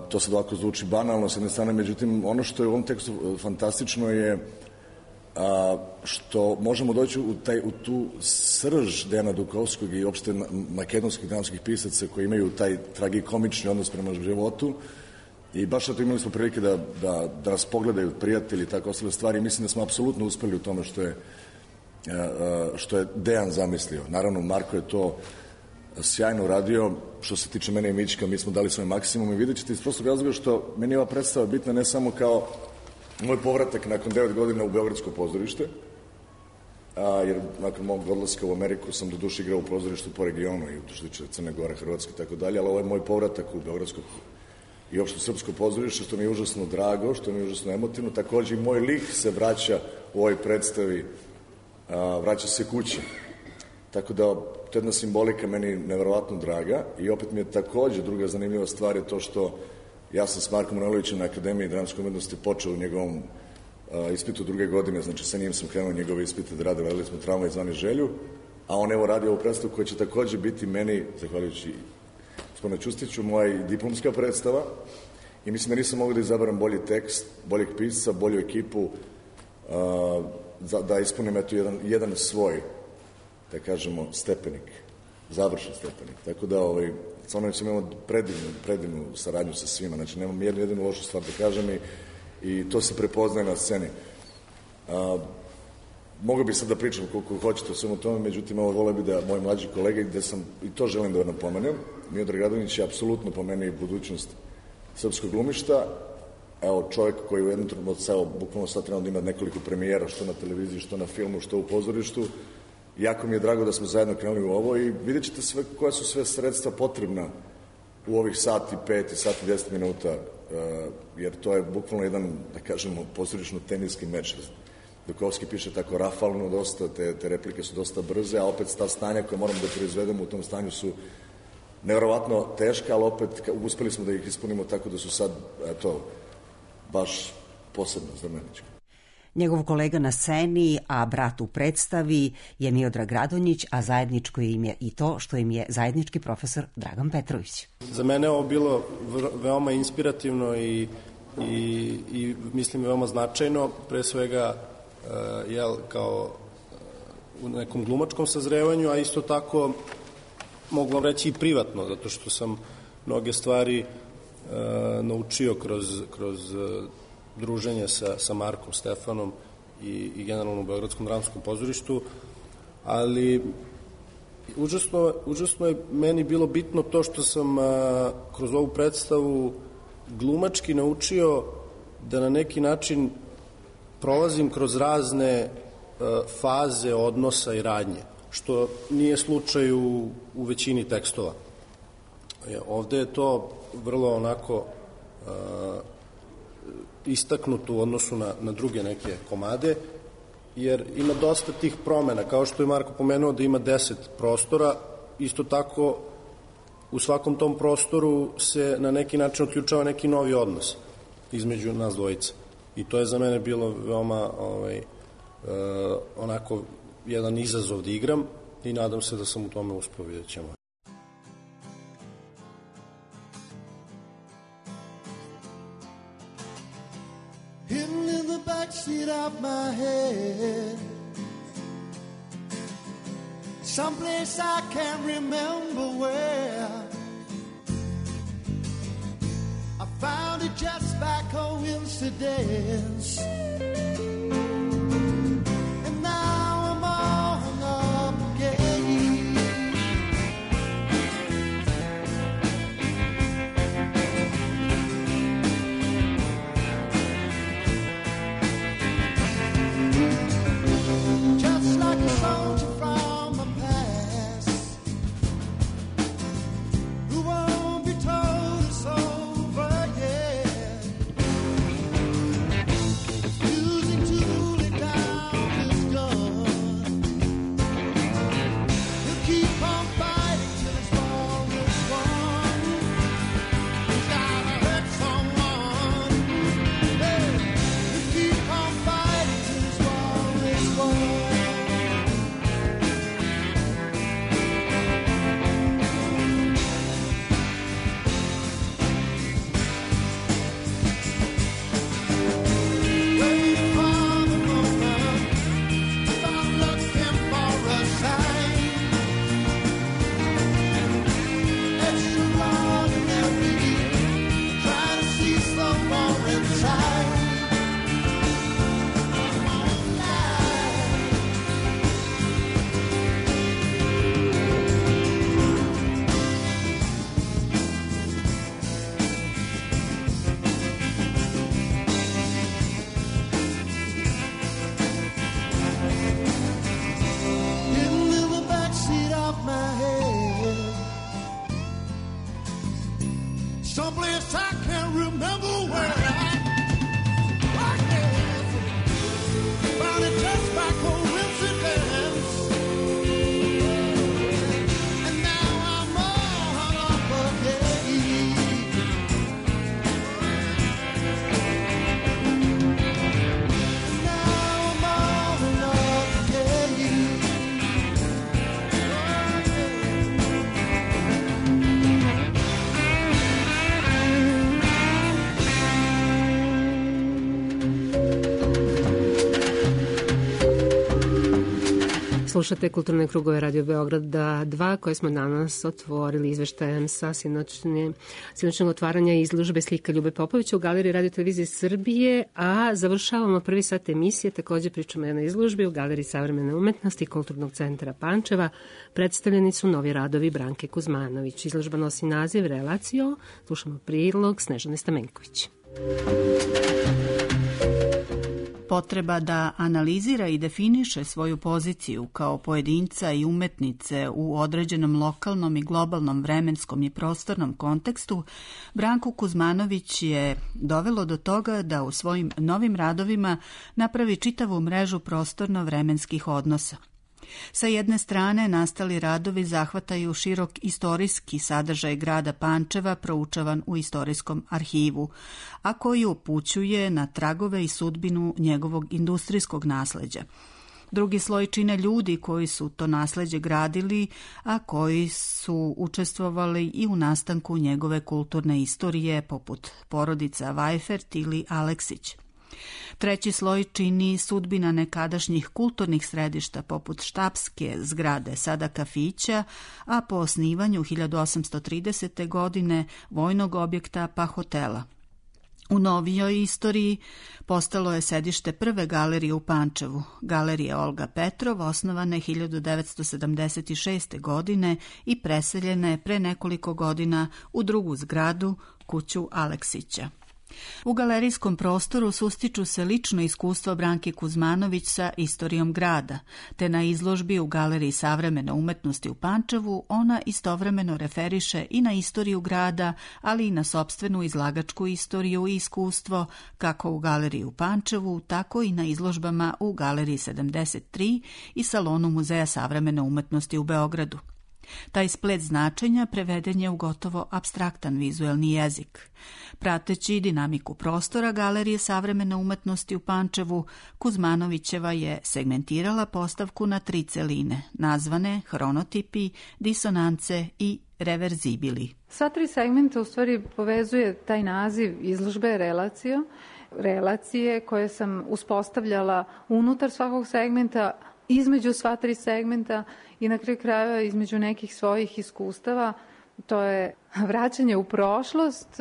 to sad ovako zvuči banalno s jedne strane, međutim, ono što je u ovom tekstu fantastično je što možemo doći u tu srž Dejana Dukovskog i opšte makedonskih dramskih pisaca koji imaju taj tragikomični odnos prema životu, i baš zato imali smo prilike da nas pogledaju prijatelji i tako ostale stvari. Mislim da smo apsolutno uspeli u tome što je Dejan zamislio. Naravno, Marko je to sjajno uradio. Što se tiče mene i Mićka, mi smo dali svoj maksimum i vidjet ćete iz prostog razloga što meni je ova predstava bitna ne samo kao moj povratak nakon 9 godina u Beogradsko pozorište, jer nakon mog odlaska u Ameriku sam do duše igrao u pozorištu po regionu i što se tiče Crne Gore, Hrvatske i tako dalje, ali ovo je moj povratak u Beogradsko i opšte srpsko pozorište, što mi je užasno drago, što mi je užasno emotivno. Takođe i moj lik se vraća u ovoj predstavi, vraća se kući. Tako da, to je jedna simbolika meni neverovatno draga i opet mi je takođe druga zanimljiva stvar je to što ja sam s Markom Manojlovićem na Akademiji dramske umetnosti počeo u njegovom ispitu druge godine, znači sa njim sam krenuo njegove ispite da rade, radili smo Tramvaj zvani Želju, a on evo radi ovu predstavu koja će takođe biti meni, zahvaljujući gospodinu Ćustiću, moja diplomska predstava i mislim da nisam mogao da izabaram bolji tekst, boljeg pisca, bolju ekipu, da ispunim eto jedan svoj, da kažemo, stepenik, završen stepenik. Tako da, stvarno imamo predivnu saradnju sa svima, znači nemam jednu lošu stvar da kažem i to se prepoznaje na sceni. Mogu bih sad da pričam koliko hoćete o svemu tome, međutim, voleo bih da moji mlađi kolege, gde sam, i to želim da napomenem, Miodrag Radonjić je apsolutno po meni budućnost srpskog glumišta. Evo, čovjek koji u jednom trenutku, bukvalno sad trebamo da ima nekoliko premijera, što na televiziji, što na filmu, što u pozorištu. Jako mi je drago da smo zajedno krenuli u ovo i vidjet ćete sve, koja su sve sredstva potrebna u ovih sati 5 i sati 10 minuta, jer to je bukvalno jedan, da kažemo, pozorišno teniski meč. Dukovski piše tako rafalno dosta, te replike su dosta brze, a opet ta stanja koje moramo da proizvedemo u tom stanju su nevjerovatno teška, ali opet uspeli smo da ih ispunimo tako da su sad, eto, baš posebno znamenički. Njegov kolega na sceni, a brat u predstavi je Miodrag Radonjić, a zajedničko im je i to što im je zajednički profesor Dragan Petrović. Za mene je ovo bilo veoma inspirativno i mislim veoma značajno, pre svega kao u nekom glumačkom sazrevanju, a isto tako mogu vam reći i privatno, zato što sam mnoge stvari naučio kroz druženje sa Markom Stefanom i generalno u Beogradskom dramskom pozorištu, ali užasno je meni bilo bitno to što sam kroz ovu predstavu glumački naučio da na neki način prolazim kroz razne faze odnosa i radnje, što nije slučaj u većini tekstova. Ovde je to vrlo onako istaknuto u odnosu na druge neke komade, jer ima dosta tih promena, kao što je Marko pomenuo da ima 10 prostora, isto tako u svakom tom prostoru se na neki način otključava neki novi odnos između nas dvojica. I to je za mene bilo veoma onako jedan izazov da igram i nadam se da sam u tome uspeo, vidjet ćemo. Hidden in the backseat of my head, someplace I can't remember where. I found it just by coincidence, and now I'm on up again. Just like a soldier from the past, who won't be told it's over yet. Using to lay down his gun, he'll keep on fighting till his war is won. He's gotta hurt someone. Hey, he'll keep on fighting till his war is won. Waiting for the moment, stop looking for a sign. Extraordinary, trying to see some more inside. Come on, life. Slušate Kulturne krugove Radio Beograda 2 koje smo danas otvorili izveštajem sa sinoćnog otvaranja izložbe slika Ljube Popovića u Galeriji Radio Televizije Srbije, a završavamo prvi sat emisije, takođe pričamo o jednoj izložbi u Galeriji savremene umetnosti Kulturnog centra Pančeva. Predstavljeni su novi radovi Branke Kuzmanović. Izložba nosi naziv Relacio. Slušamo prilog Snežane Stamenković. Potreba da analizira i definiše svoju poziciju kao pojedinca i umetnice u određenom lokalnom i globalnom vremenskom i prostornom kontekstu, Branku Kuzmanović je dovelo do toga da u svojim novim radovima napravi čitavu mrežu prostorno-vremenskih odnosa. Sa jedne strane, nastali radovi zahvataju širok istorijski sadržaj grada Pančeva proučavan u istorijskom arhivu, a koji upućuje na tragove i sudbinu njegovog industrijskog nasleđa. Drugi sloj čine ljudi koji su to nasleđe gradili, a koji su učestvovali i u nastanku njegove kulturne istorije, poput porodica Vajfert ili Aleksić. Treći sloj čini sudbina nekadašnjih kulturnih središta poput štabske zgrade, sada kafića, a po osnivanju 1830. godine vojnog objekta pa hotela. U novijoj istoriji postalo je sedište prve galerije u Pančevu, Galerija Olga Petrov, osnovane 1976. godine i preseljena je pre nekoliko godina u drugu zgradu, kuću Aleksića. U galerijskom prostoru sustiču se lično iskustvo Branke Kuzmanović sa istorijom grada, te na izložbi u Galeriji savremene umetnosti u Pančevu ona istovremeno referiše i na istoriju grada, ali i na sopstvenu izlagačku istoriju i iskustvo, kako u Galeriji u Pančevu, tako i na izložbama u Galeriji 73 i Salonu Muzeja savremene umetnosti u Beogradu. Taj splet značenja preveden je u gotovo apstraktan vizuelni jezik. Prateći dinamiku prostora Galerije savremene umetnosti u Pančevu, Kuzmanovićeva je segmentirala postavku na 3 celine, nazvane hronotipi, disonance i reverzibili. Sva 3 segmenta u stvari povezuje taj naziv izložbe Relacio, relacije koje sam uspostavljala unutar svakog segmenta, između sva 3 segmenta i na kraju krajeva između nekih svojih iskustava. To je vraćanje u prošlost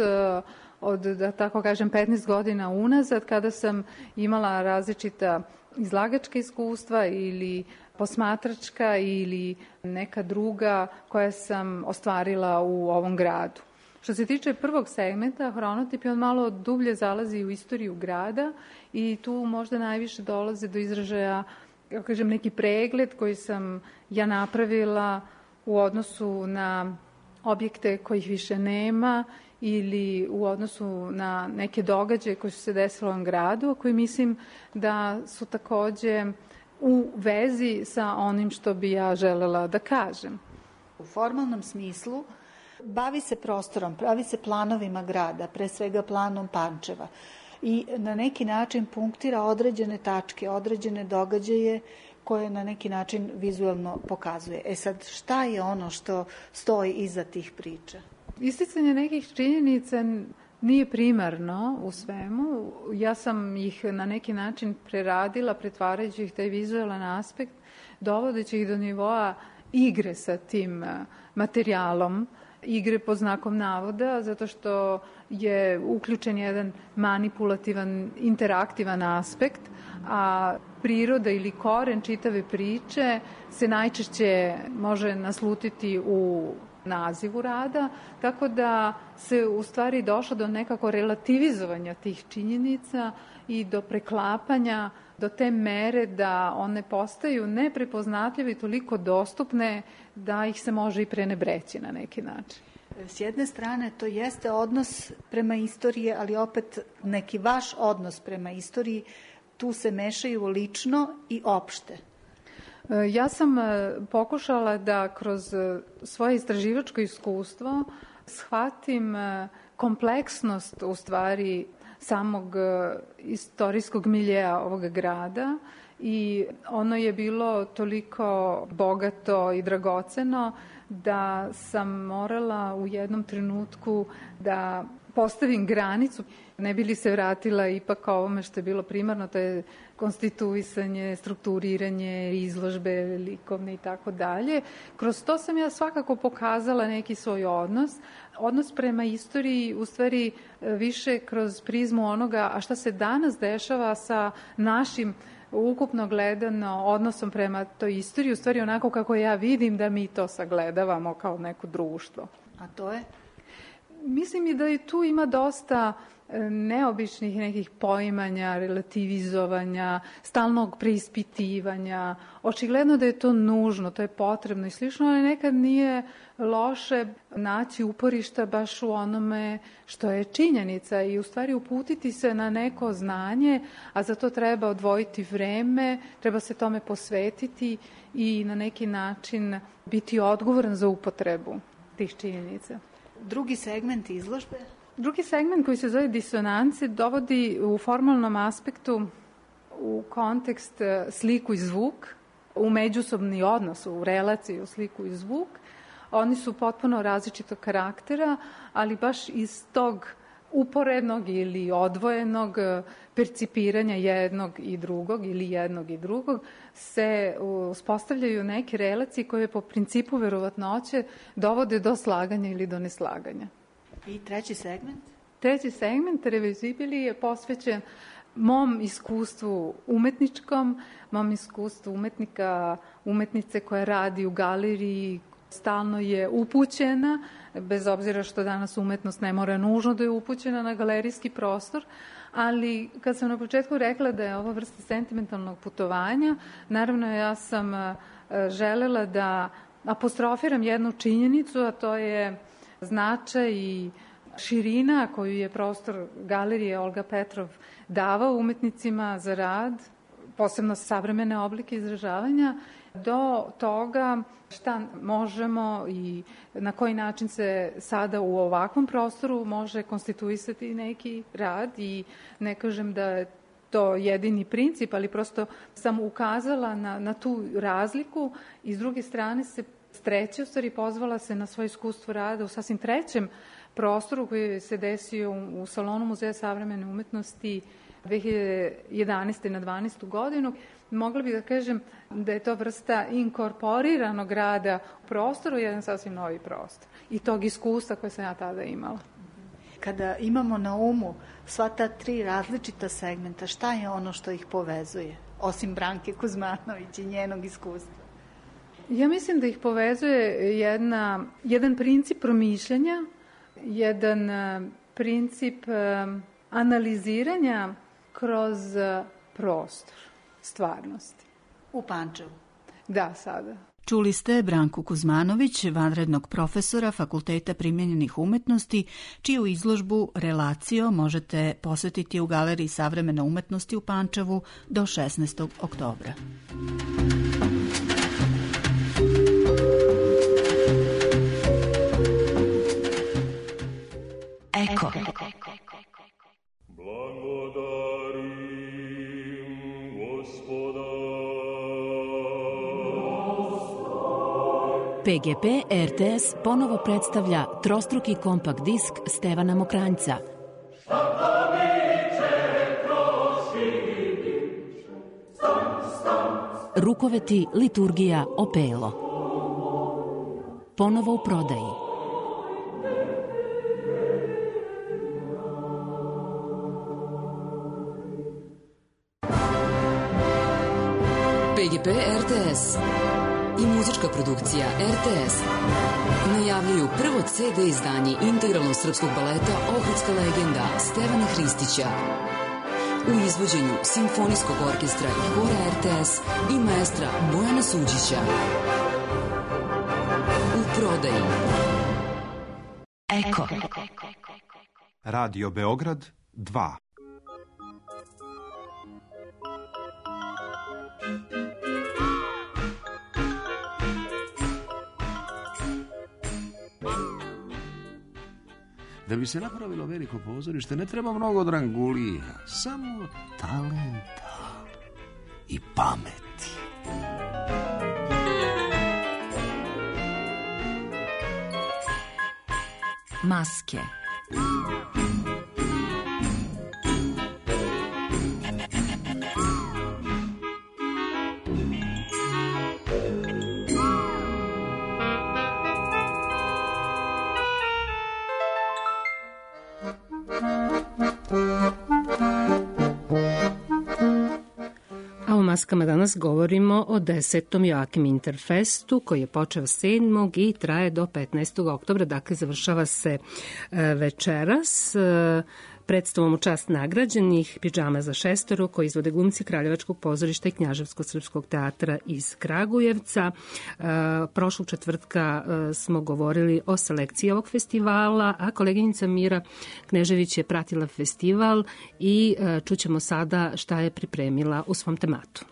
od, da tako kažem, 15 godina unazad, kada sam imala različita izlagačka iskustva ili posmatračka ili neka druga koja sam ostvarila u ovom gradu. Što se tiče prvog segmenta, hronotip, on malo dublje zalazi u istoriju grada i tu možda najviše dolaze do izražaja, kako kažem, neki pregled koji sam ja napravila u odnosu na objekte kojih više nema ili u odnosu na neke događaje koji su se desili u ovom gradu, koji mislim da su takođe u vezi sa onim što bi ja želela da kažem. U formalnom smislu bavi se prostorom, bavi se planovima grada, pre svega planom Pančeva, i na neki način punktira određene tačke, određene događaje koje na neki način vizuelno pokazuje. E sad, šta je ono što stoji iza tih priča? Isticanje nekih činjenica nije primarno u svemu. Ja sam ih na neki način preradila, pretvarajući ih taj vizualan aspekt, dovodeći ih do nivoa igre sa tim materijalom, igre pod znakom navoda, zato što je uključen jedan manipulativan, interaktivan aspekt, a priroda ili koren čitave priče se najčešće može naslutiti u nazivu rada, tako da se u stvari došlo do nekako relativizovanja tih činjenica i do preklapanja do te mere da one postaju neprepoznatljive i toliko dostupne da ih se može i prenebreći na neki način. S jedne strane to jeste odnos prema istoriji, ali opet neki vaš odnos prema istoriji, tu se mešaju lično i opšte. Ja sam pokušala da kroz svoje istraživačko iskustvo shvatim kompleksnost u stvari samog istorijskog miljeja ovog grada i ono je bilo toliko bogato i dragoceno da sam morala u jednom trenutku da postavim granicu, ne bi li se vratila ipak ovome što je bilo primarno, to je konstituisanje, strukturiranje, izložbe likovne i tako dalje. Kroz to sam ja svakako pokazala neki svoj odnos prema istoriji, u stvari više kroz prizmu onoga, a šta se danas dešava sa našim ukupno gledano odnosom prema toj istoriji, u stvari onako kako ja vidim da mi to sagledavamo kao neko društvo. A to je? Mislim i da i tu ima dosta neobičnih nekih poimanja, relativizovanja, stalnog preispitivanja. Očigledno da je to nužno, to je potrebno i slično, ali nekad nije loše naći uporišta baš u onome što je činjenica i u stvari uputiti se na neko znanje, a za to treba odvojiti vreme, treba se tome posvetiti i na neki način biti odgovoran za upotrebu tih činjenica. Drugi segment izložbe? Drugi segment koji se zove disonance dovodi u formalnom aspektu u kontekst sliku i zvuk, u međusobni odnos, u relaciju sliku i zvuk. Oni su potpuno različitog karaktera, ali baš iz tog uporednog ili odvojenog percipiranja jednog i drugog ili jednog i drugog se uspostavljaju neke relacije koje po principu verovatnoće dovode do slaganja ili do neslaganja. I treći segment? Treći segment, Revezibili, je posvećen mom iskustvu umetničkom, mom iskustvu umetnice koja radi u galeriji, stalno je upućena, bez obzira što danas umetnost ne mora nužno da je upućena na galerijski prostor, ali kad sam na početku rekla da je ova vrsta sentimentalnog putovanja, naravno ja sam želela da apostrofiram jednu činjenicu, a to je značaj i širina koju je prostor galerije Olga Petrov davao umetnicima za rad, posebno savremene oblike izražavanja, do toga šta možemo i na koji način se sada u ovakvom prostoru može konstituisati neki rad i ne kažem da je to jedini princip, ali prosto sam ukazala na tu razliku i s druge strane se treće, u stvari pozvala se na svoje iskustvo rada u sasvim trećem prostoru koji se desio u Salonu Muzeja savremene umetnosti 2011. na 12. godinu. Mogla bih da kažem da je to vrsta inkorporiranog rada u prostoru, jedan sasvim novi prostor. I tog iskustva koje sam ja tada imala. Kada imamo na umu sva ta tri različita segmenta, šta je ono što ih povezuje, osim Branke Kuzmanović i njenog iskustva? Ja mislim da ih povezuje jedan princip promišljanja, jedan princip analiziranja kroz prostor stvarnosti. U Pančevu? Da, sada. Čuli ste Branku Kuzmanović, vanrednog profesora Fakulteta primenjenih umetnosti, čiju izložbu Relacio možete posetiti u Galeriji savremene umetnosti u Pančevu do 16. oktobra. Eko. PGP RTS ponovo predstavlja trostruki kompakt disk Stevana Mokranjca. Rukoveti liturgija Opelo. Ponovo u prodaji. PGP RTS i muzička produkcija RTS najavljuju prvo CD izdanje integralnog srpskog baleta Ohridska legenda Stevana Hristića u izvođenju Simfonijskog orkestra i hora RTS i maestra Bojana Suđića. U prodaji. Eko. Radio Beograd 2. Da bi se napravilo veliko pozorište, ne treba mnogo drangulija, samo talenta i pameti. Maske. maskama danas govorimo o 10. Joakim Interfestu koji je počeo 7. i traje do 15. oktobra, dakle završava se večeras predstavom u čast nagrađenih Pidžama za šestoro koji izvode glumci Kraljevačkog pozorišta i Knjaževsko-srpskog teatra iz Kragujevca. Prošlog četvrtka smo govorili o selekciji ovog festivala, a koleginica Mira Knežević je pratila festival i čućemo sada šta je pripremila u svom tematu.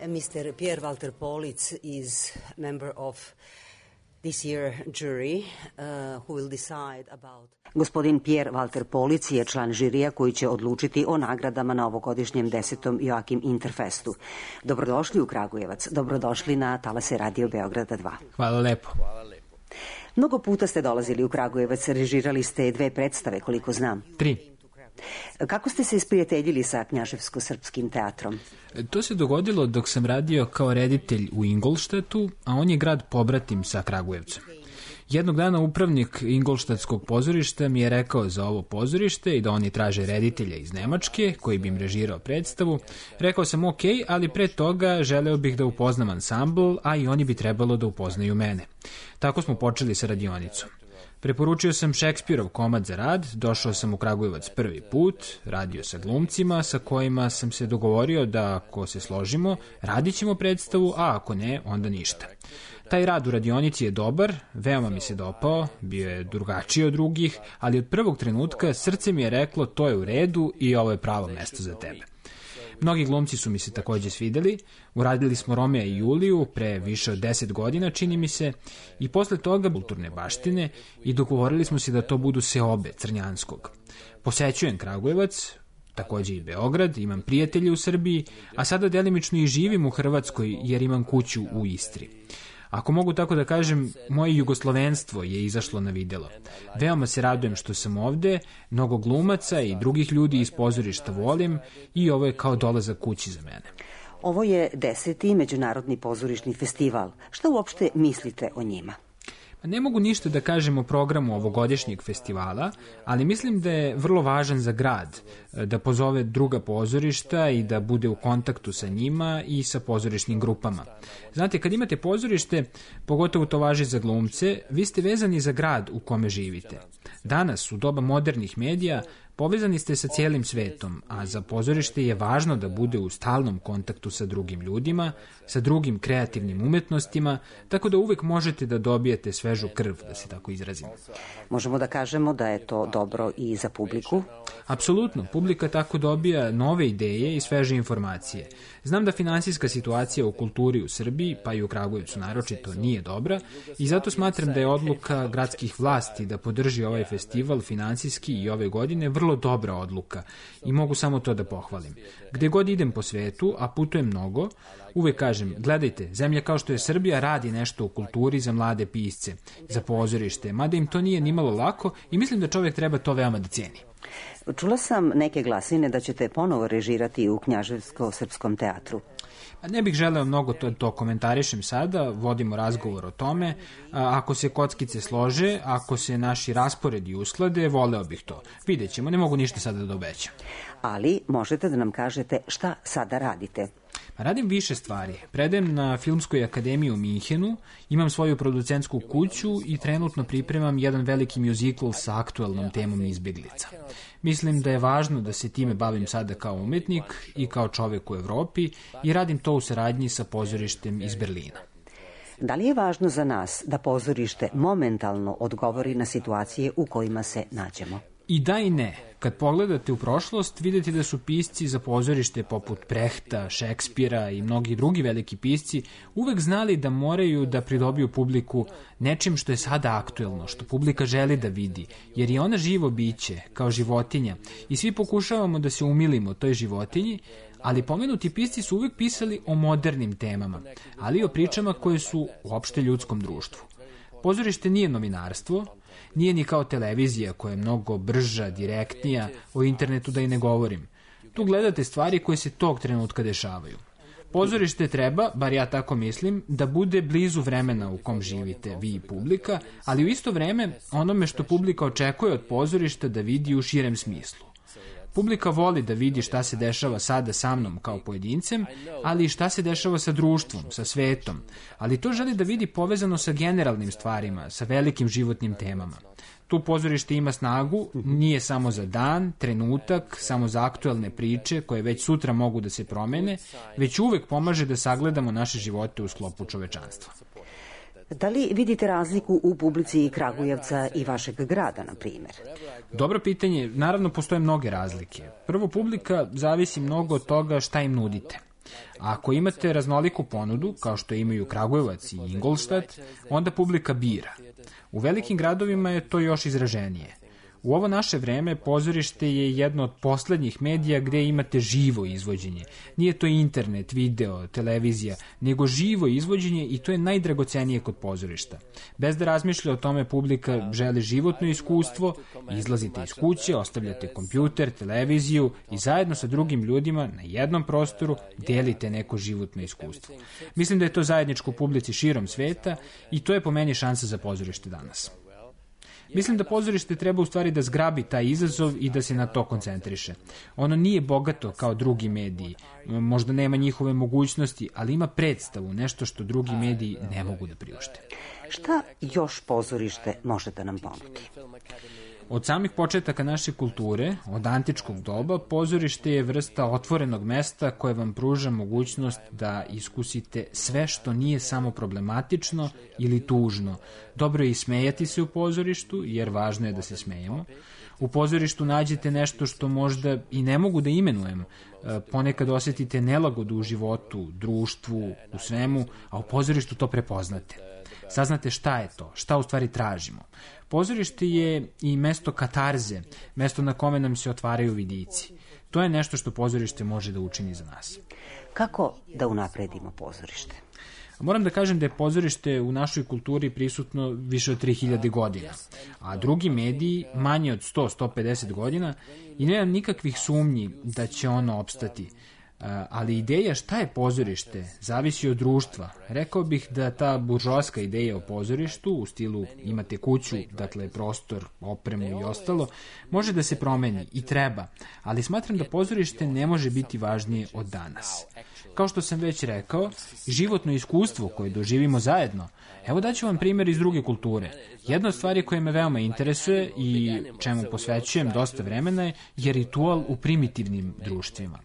Mr. Pierre Walter Polic is member of this year jury who will decide about... Gospodin Pierre Walter Polic je član žirija koji će odlučiti o nagradama na ovogodišnjem 10. Joakim Interfestu. Dobrodošli u Kragujevac, dobrodošli na talase Radio Beograda 2. Hvala lepo. Mnogo puta ste dolazili u Kragujevac, režirali ste 2 predstave, koliko znam. 3. Kako ste se isprijateljili sa Knjaževsko-srpskim teatrom? To se dogodilo dok sam radio kao reditelj u Ingolštatu, a on je grad pobratim sa Kragujevcem. Jednog dana upravnik Ingolštatskog pozorišta mi je rekao za ovo pozorište i da oni traže reditelja iz Nemačke koji bi im režirao predstavu. Rekao sam ok, ali pre toga želeo bih da upoznam ansambl, a i oni bi trebalo da upoznaju mene. Tako smo počeli sa radionicom. Preporučio sam Šekspirov komad za rad, došao sam u Kragujevac prvi put, radio sa glumcima sa kojima sam se dogovorio da ako se složimo, radit ćemo predstavu, a ako ne, onda ništa. Taj rad u radionici je dobar, veoma mi se dopao, bio je drugačiji od drugih, ali od prvog trenutka srce mi je reklo to je u redu i ovo je pravo mesto za tebe. Mnogi glumci su mi se takođe svideli, uradili smo Romea i Juliju pre više od 10 godina, čini mi se, i posle toga kulturne baštine i dogovorili smo se da to budu seobe Crnjanskog. Posećujem Kragujevac, takođe i Beograd, imam prijatelje u Srbiji, a sada delimično i živim u Hrvatskoj jer imam kuću u Istri. Ako mogu tako da kažem, moje jugoslovenstvo je izašlo na videlo. Veoma se radujem što sam ovde, mnogo glumaca i drugih ljudi iz pozorišta volim i ovo je kao dolazak kući za mene. Ovo je 10. Međunarodni pozorišni festival. Šta uopšte mislite o njima? Ne mogu ništa da kažem o programu ovogodišnjeg festivala, ali mislim da je vrlo važan za grad, da pozove druga pozorišta i da bude u kontaktu sa njima i sa pozorišnim grupama. Znate, kad imate pozorište, pogotovo to važi za glumce, vi ste vezani za grad u kome živite. Danas, u doba modernih medija, povezani ste sa cijelim svetom, a za pozorište je važno da bude u stalnom kontaktu sa drugim ljudima, sa drugim kreativnim umetnostima, tako da uvek možete da dobijete svežu krv, da se tako izrazim. Možemo da kažemo da je to dobro i za publiku? Apsolutno, publika tako dobija nove ideje i sveže informacije. Znam da finansijska situacija u kulturi u Srbiji, pa i u Kragujevcu naročito, nije dobra i zato smatram da je odluka gradskih vlasti da podrži ovaj festival finansijski i ove godine vrlo dobra odluka i mogu samo to da pohvalim. Gde god idem po svetu, a putujem mnogo, uvek kažem, gledajte, zemlja kao što je Srbija radi nešto u kulturi za mlade pisce, za pozorište, mada im to nije nimalo lako i mislim da čovjek treba to veoma da cijeni. Čula sam neke glasine da ćete ponovo režirati u Knjaževsko-srpskom teatru. Ne bih želeo mnogo to komentarišem sada, vodimo razgovor o tome. Ako se kockice slože, ako se naši rasporedi usklade, voleo bih to. Vidjet ćemo, ne mogu ništa sada da obećam. Ali možete da nam kažete šta sada radite? Radim više stvari. Predajem na Filmskoj akademiji u Minhenu, imam svoju producentsku kuću i trenutno pripremam jedan veliki mjuzikl sa aktuelnom temom izbjeglica. Mislim da je važno da se time bavim sada kao umetnik i kao čovek u Evropi i radim to u saradnji sa pozorištem iz Berlina. Da li je važno za nas da pozorište momentalno odgovori na situacije u kojima se nađemo? I da i ne. Kad pogledate u prošlost, vidite da su pisci za pozorište poput Brehta, Šekspira i mnogi drugi veliki pisci uvek znali da moraju da pridobiju publiku nečim što je sada aktuelno, što publika želi da vidi, jer je ona živo biće, kao životinja, i svi pokušavamo da se umilimo toj životinji, ali pomenuti pisci su uvek pisali o modernim temama, ali i o pričama koje su uopšte ljudskom društvu. Pozorište nije novinarstvo, nije ni kao televizija koja je mnogo brža, direktnija, o internetu da i ne govorim. Tu gledate stvari koje se tog trenutka dešavaju. Pozorište treba, bar ja tako mislim, da bude blizu vremena u kom živite vi i publika, ali u isto vreme onome što publika očekuje od pozorišta da vidi u širem smislu. Publika voli da vidi šta se dešava sada sa mnom kao pojedincem, ali i šta se dešava sa društvom, sa svetom. Ali to želi da vidi povezano sa generalnim stvarima, sa velikim životnim temama. Tu pozorište ima snagu, nije samo za dan, trenutak, samo za aktuelne priče koje već sutra mogu da se promene, već uvek pomaže da sagledamo naše živote u sklopu čovečanstva. Da li vidite razliku u publici Kragujevca i vašeg grada, na primjer? Dobro pitanje. Naravno, postoje mnoge razlike. Prvo, publika zavisi mnogo od toga šta im nudite. A ako imate raznoliku ponudu, kao što imaju Kragujevac i Ingolstadt, onda publika bira. U velikim gradovima je to još izraženije. U ovo naše vreme pozorište je jedno od poslednjih medija gde imate živo izvođenje. Nije to internet, video, televizija, nego živo izvođenje i to je najdragocenije kod pozorišta. Bez da razmišlja o tome, publika želi životno iskustvo, izlazite iz kuće, ostavljate kompjuter, televiziju i zajedno sa drugim ljudima na jednom prostoru delite neko životno iskustvo. Mislim da je to zajedničko publici širom sveta i to je po meni šansa za pozorište danas. Mislim da pozorište treba u stvari da zgrabi taj izazov i da se na to koncentriše. Ono nije bogato kao drugi mediji, možda nema njihove mogućnosti, ali ima predstavu, nešto što drugi mediji ne mogu da priušte. Šta još pozorište može da nam ponudi? Od samih početaka naše kulture, od antičkog doba, pozorište je vrsta otvorenog mesta koje vam pruža mogućnost da iskusite sve što nije samo problematično ili tužno. Dobro je i smejati se u pozorištu, jer važno je da se smejemo. U pozorištu nađete nešto što možda i ne mogu da imenujem. Ponekad osetite nelagodu u životu, društvu, u svemu, a u pozorištu to prepoznate. Saznate šta je to, šta u stvari tražimo. Pozorište je i mesto katarze, mesto na kome nam se otvaraju vidici. To je nešto što pozorište može da učini za nas. Kako da unapredimo pozorište? Moram da kažem da je pozorište u našoj kulturi prisutno više od 3000 godina, a drugi mediji manje od 100-150 godina i nemam nikakvih sumnji da će ono opstati. Ali ideja šta je pozorište zavisi od društva. Rekao bih da ta buržoaska ideja o pozorištu u stilu imate kuću, dakle prostor, opremu i ostalo, može da se promeni i treba, ali smatram da pozorište ne može biti važnije od danas. Kao što sam već rekao, životno iskustvo koje doživimo zajedno. Evo daću vam primjer iz druge kulture. Jedna od stvari koja me veoma interesuje i čemu posvećujem dosta vremena je ritual u primitivnim društvima.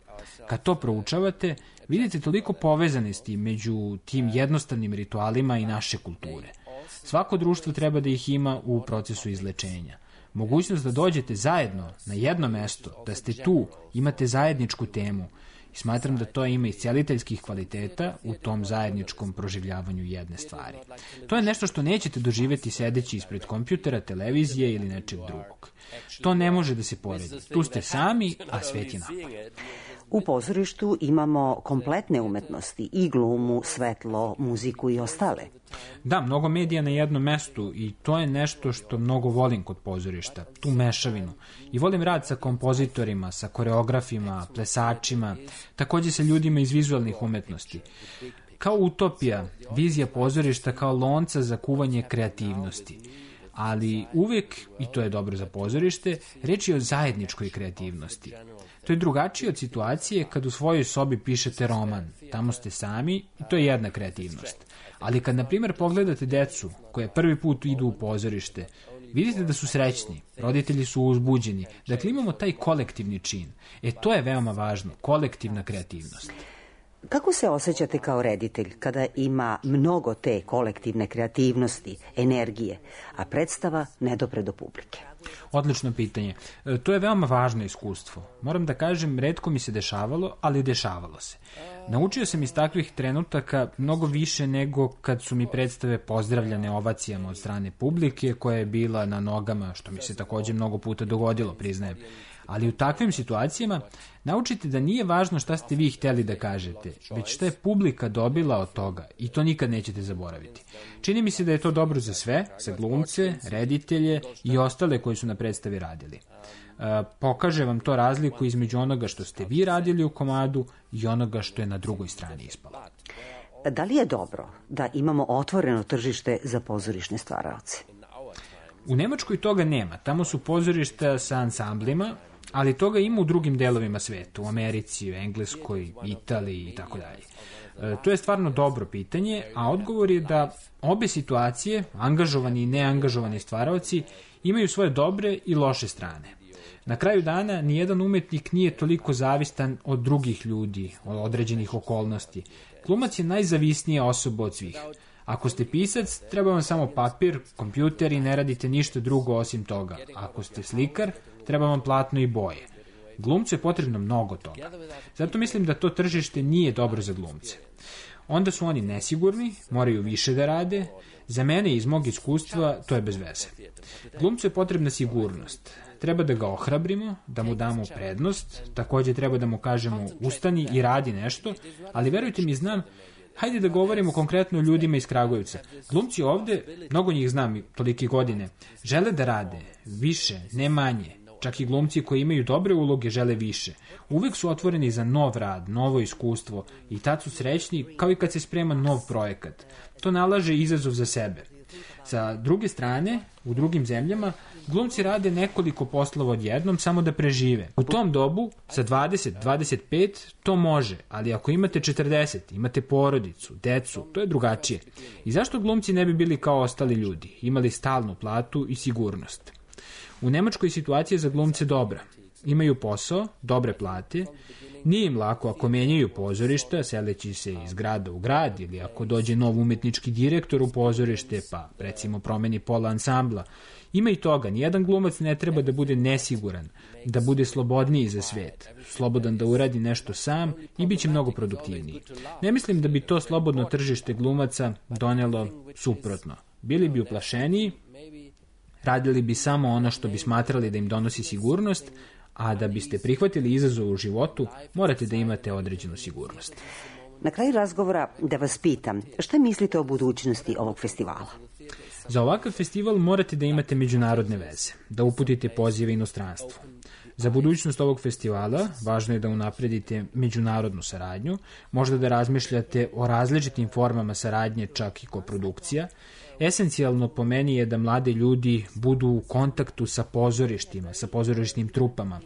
Kad to proučavate, vidite toliko povezanosti među tim jednostavnim ritualima i naše kulture. Svako društvo treba da ih ima u procesu izlečenja. Mogućnost da dođete zajedno na jedno mesto, da ste tu, imate zajedničku temu. I smatram da to ima isceliteljskih kvaliteta u tom zajedničkom proživljavanju jedne stvari. To je nešto što nećete doživjeti sedeći ispred kompjutera, televizije ili nečeg drugog. To ne može da se poredi. Tu ste sami, a svet je napolju. U pozorištu imamo kompletne umetnosti, i glumu, svetlo, muziku i ostale. Da, mnogo medija na jednom mestu i to je nešto što mnogo volim kod pozorišta, tu mešavinu. I volim rad sa kompozitorima, sa koreografima, plesačima, takođe sa ljudima iz vizualnih umetnosti. Kao utopija, vizija pozorišta kao lonca za kuvanje kreativnosti. Ali uvek, i to je dobro za pozorište, reč je o zajedničkoj kreativnosti. To je drugačije od situacije kad u svojoj sobi pišete roman. Tamo ste sami i to je jedna kreativnost. Ali kad, na primjer, pogledate decu koje prvi put idu u pozorište, vidite da su srećni, roditelji su uzbuđeni. Dakle, imamo taj kolektivni čin. To je veoma važno, kolektivna kreativnost. Kako se osjećate kao reditelj kada ima mnogo te kolektivne kreativnosti, energije, a predstava ne dopre do publike? Odlično pitanje. To je veoma važno iskustvo. Moram da kažem, retko mi se dešavalo, ali dešavalo se. Naučio sam iz takvih trenutaka mnogo više nego kad su mi predstave pozdravljane ovacijama od strane publike koja je bila na nogama, što mi se takođe mnogo puta dogodilo, priznajem. Ali u takvim situacijama naučite da nije važno šta ste vi hteli da kažete, već šta je publika dobila od toga i to nikad nećete zaboraviti. Čini mi se da je to dobro za sve, za glumce, reditelje i ostale koji su na predstavi radili. Pokaže vam to razliku između onoga što ste vi radili u komadu i onoga što je na drugoj strani ispalo. Da li je dobro da imamo otvoreno tržište za pozorišne stvaraoce? U Nemačkoj toga nema. Tamo su pozorišta sa ansamblima ali toga ima u drugim delovima sveta, u Americi, u Engleskoj, Italiji i tako dalje. To je stvarno dobro pitanje, a odgovor je da obe situacije, angažovani i neangažovani stvaraoci, imaju svoje dobre i loše strane. Na kraju dana, nijedan umetnik nije toliko zavistan od drugih ljudi, od određenih okolnosti. Glumac je najzavisnija osoba od svih. Ako ste pisac, treba vam samo papir, kompjuter i ne radite ništa drugo osim toga. Ako ste slikar, treba vam platno i boje. Glumcu je potrebno mnogo toga. Zato mislim da to tržište nije dobro za glumce. Onda su oni nesigurni, moraju više da rade. Za mene iz mog iskustva to je bez veze. Glumcu je potrebna sigurnost. Treba da ga ohrabrimo, da mu damo prednost, takođe treba da mu kažemo ustani i radi nešto, ali verujte mi, znam, hajde da govorimo konkretno o ljudima iz Kragujevca. Glumci ovde, mnogo njih znam tolike godine, žele da rade više, ne manje. Čak i glumci koji imaju dobre uloge žele više. Uvek su otvoreni za nov rad, novo iskustvo i tad su srećni kao i kad se sprema nov projekat. To nalaže izazov za sebe. Sa druge strane, u drugim zemljama, glumci rade nekoliko poslova odjednom samo da prežive. U tom dobu, sa 20-25, to može, ali ako imate 40, imate porodicu, decu, to je drugačije. I zašto glumci ne bi bili kao ostali ljudi, imali stalnu platu i sigurnost? U Nemačkoj situacija za glumce dobra. Imaju posao, dobre plate, nije im lako ako menjaju pozorišta, seleći se iz grada u grad, ili ako dođe nov umetnički direktor u pozorište, pa recimo promeni pola ansambla. Ima i toga, nijedan glumac ne treba da bude nesiguran, da bude slobodniji za svet, slobodan da uradi nešto sam i bit će mnogo produktivniji. Ne mislim da bi to slobodno tržište glumaca donelo suprotno. Bili bi uplašeniji, radili bi samo ono što bi smatrali da im donosi sigurnost, a da biste prihvatili izazov u životu, morate da imate određenu sigurnost. Na kraju razgovora da vas pitam, šta mislite o budućnosti ovog festivala? Za ovakav festival morate da imate međunarodne veze, da uputite pozive inostranstvu. Za budućnost ovog festivala važno je da unapredite međunarodnu saradnju, možda da razmišljate o različitim formama saradnje, čak i koprodukcija. Esencijalno po meni je da mlade ljudi budu u kontaktu sa pozorištima, sa pozorišnim trupama.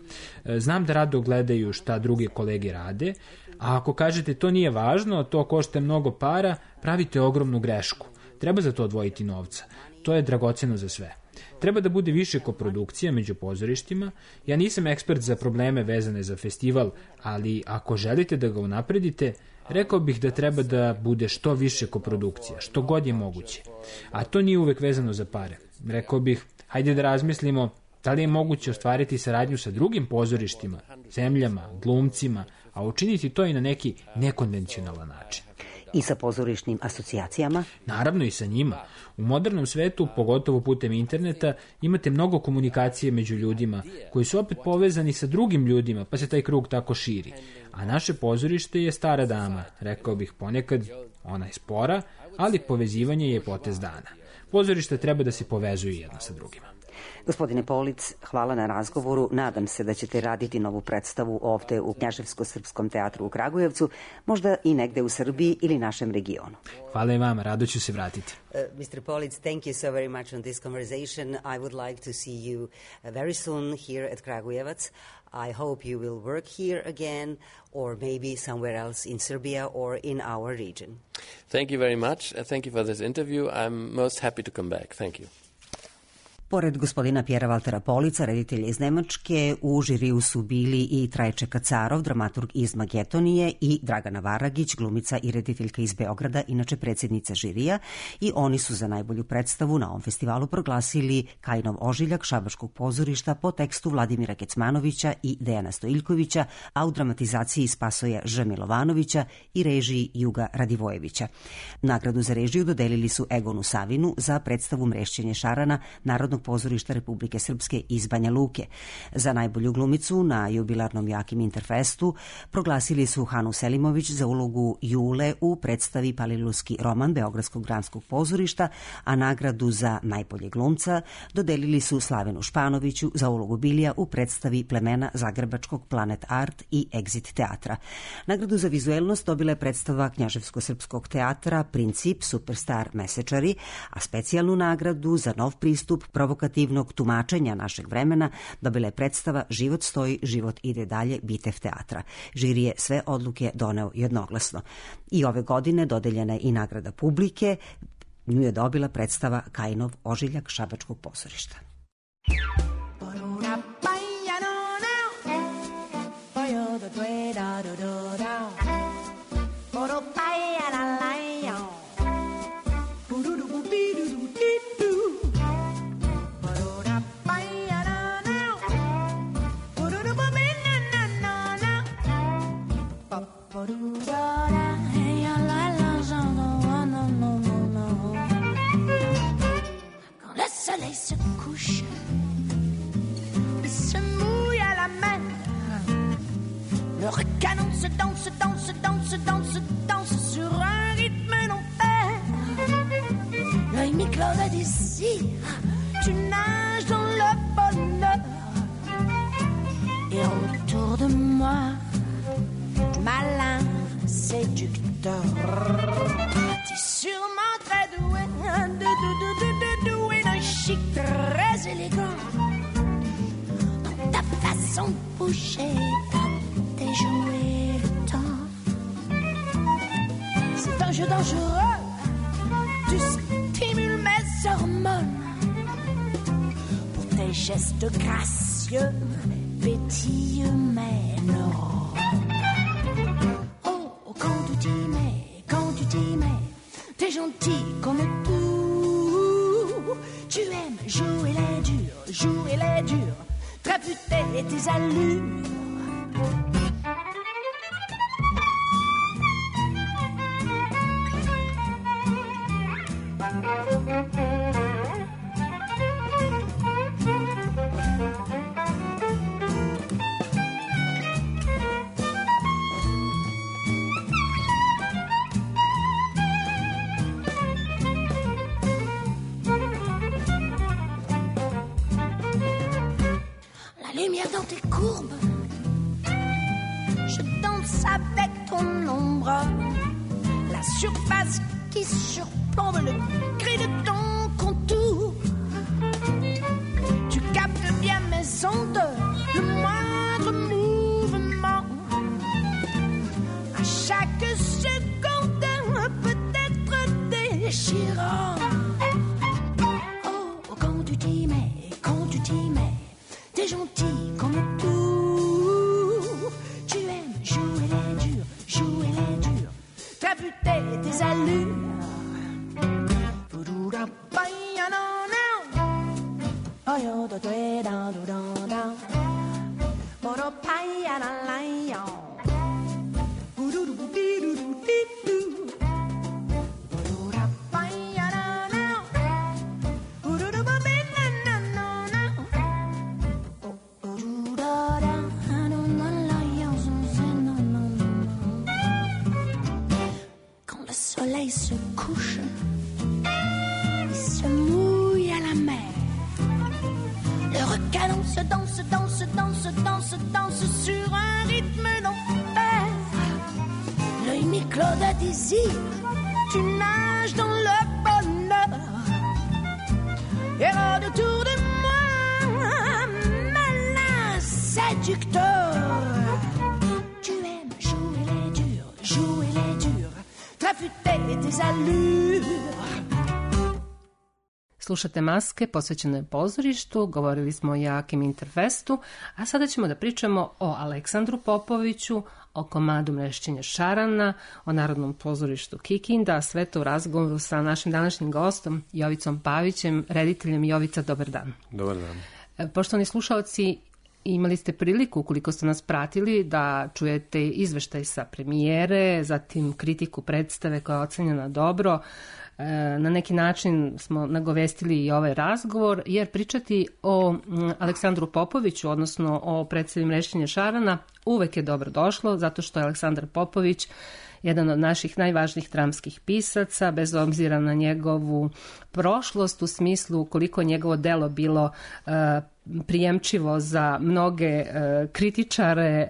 Znam da rado gledaju šta druge kolege rade, a ako kažete to nije važno, to košta mnogo para, pravite ogromnu grešku. Treba za to odvojiti novca. To je dragoceno za sve. Treba da bude više koprodukcija među pozorištima. Ja nisam ekspert za probleme vezane za festival, ali ako želite da ga unapredite, rekao bih da treba da bude što više koprodukcija, što god je moguće. A to nije uvek vezano za pare. Rekao bih, hajde da razmislimo da li je moguće ostvariti saradnju sa drugim pozorištima, zemljama, glumcima, a učiniti to i na neki nekonvencionalan način. I sa pozorišnim asocijacijama? Naravno i sa njima. U modernom svetu, pogotovo putem interneta, imate mnogo komunikacije među ljudima, koji su opet povezani sa drugim ljudima, pa se taj krug tako širi. A naše pozorište je stara dama, rekao bih ponekad, ona je spora, ali povezivanje je potez dana. Pozorište treba da se povezuju jedno sa drugima. Gospodine Polic, hvala na razgovoru. Nadam se da ćete raditi novu predstavu ovde u Knjaževsko-srpskom teatru u Kragujevcu, možda i negde u Srbiji ili našem regionu. Hvala i vama, rado ću se vratiti. Mr. Polic, thank you so very much on this conversation. I would like to see you very soon here at Kragujevac. I hope you will work here again or maybe somewhere else in Serbia or in our region. Thank you very much. Thank you for this interview. I'm most happy to come back. Thank you. Pored gospodina Pjera Valtera Polica, reditelja iz Nemačke, u žiriju su bili i Trajče Kacarov, dramaturg iz Magetonije, i Dragana Varagić, glumica i rediteljka iz Beograda, inače predsjednica žirija, i oni su za najbolju predstavu na ovom festivalu proglasili Kajinov ožiljak Šabačkog pozorišta po tekstu Vladimira Kecmanovića i Dejana Stojiljkovića, a u dramatizaciji Spasoja Ž. Milovanovića i režiji Juga Radivojevića. Nagradu za režiju dodelili su Egonu Savinu za predstavu Mrešćenje šarana Narodnog pozorišta Republike Srpske iz Banja Luke. Za najbolju glumicu na jubilarnom Jakim Interfestu proglasili su Hanu Selimović za ulogu Jule u predstavi Palilulski roman Beogradskog dramskog pozorišta, a nagradu za najbolje glumca dodelili su Slavenu Španoviću za ulogu Bilija u predstavi Plemena Zagrebačkog Planet Art i Exit teatra. Nagradu za vizuelnost dobila je predstava Knjaževsko-srpskog teatra Princip Superstar mesečari, a specijalnu nagradu za nov pristup proveo provokativnog tumačenja našeg vremena dobila je predstava Život stoji, život ide dalje Bitev teatra. Žiri je sve odluke doneo jednoglasno. I ove godine dodeljena je i nagrada publike. Nju je dobila predstava Kajinov ožiljak Šabačkog pozorišta. Quand le soleil se couche, il se mouille à la mer. Le recanon se danse, danse, danse, danse, danse sur un rythme non pair. L'œil mi-clos de désir, tu nages dans le bonheur. Et autour de moi, malin séducteur, tu es sûrement très doué, doué d'un chic très élégant. Dans ta façon de bouger, t'as déjoué le temps. C'est un jeu dangereux, tu stimules mes hormones. Pour tes gestes gracieux, pétillent mes neurones. Quand tu t'y mets, t'es gentil comme tout. Tu aimes jouer les durs, traputer tes allures. Lumière dans tes courbes, je danse avec ton ombre. La surface qui surplombe le gris de ton contour. Tu captes bien mes ondes, le moindre mouvement. À chaque seconde, peut-être déchirant. Oh, quand tu t'y mets, t'es gentil comme tout. Tu aimes jouer les durs, traputer tes allures. Se couche, il se mouille à la mer. Le recanon se danse, danse, danse, danse, danse sur un rythme non pair. L'œil mi-clos de désir, tu nages dans le bonheur. Et autour de moi, malin séducteur. Tu aimes jouer les durs, traputer tes allures. Slušate Maske, posvećeno je pozorištu, govorili smo o Joakim Interfestu, a sada ćemo da pričamo o Aleksandru Popoviću, o komadu Mrešćenja šarana, o Narodnom pozorištu Kikinda, sve to u razgovoru sa našim današnjim gostom Jovicom Pavićem, rediteljem. Jovica, dobar dan. Dobar dan. Poštovani slušaoci, imali ste priliku, ukoliko ste nas pratili, da čujete izveštaj sa premijere, zatim kritiku predstave koja je ocenjena dobro. Na neki način smo nagovestili i ovaj razgovor, jer pričati o Aleksandru Popoviću, odnosno o predstavi Mrešćenja šarana, uvek je dobro došlo, zato što je Aleksandar Popović jedan od naših najvažnijih dramskih pisaca, bez obzira na njegovu prošlost, u smislu koliko njegovo delo bilo prijemčivo za mnoge kritičare,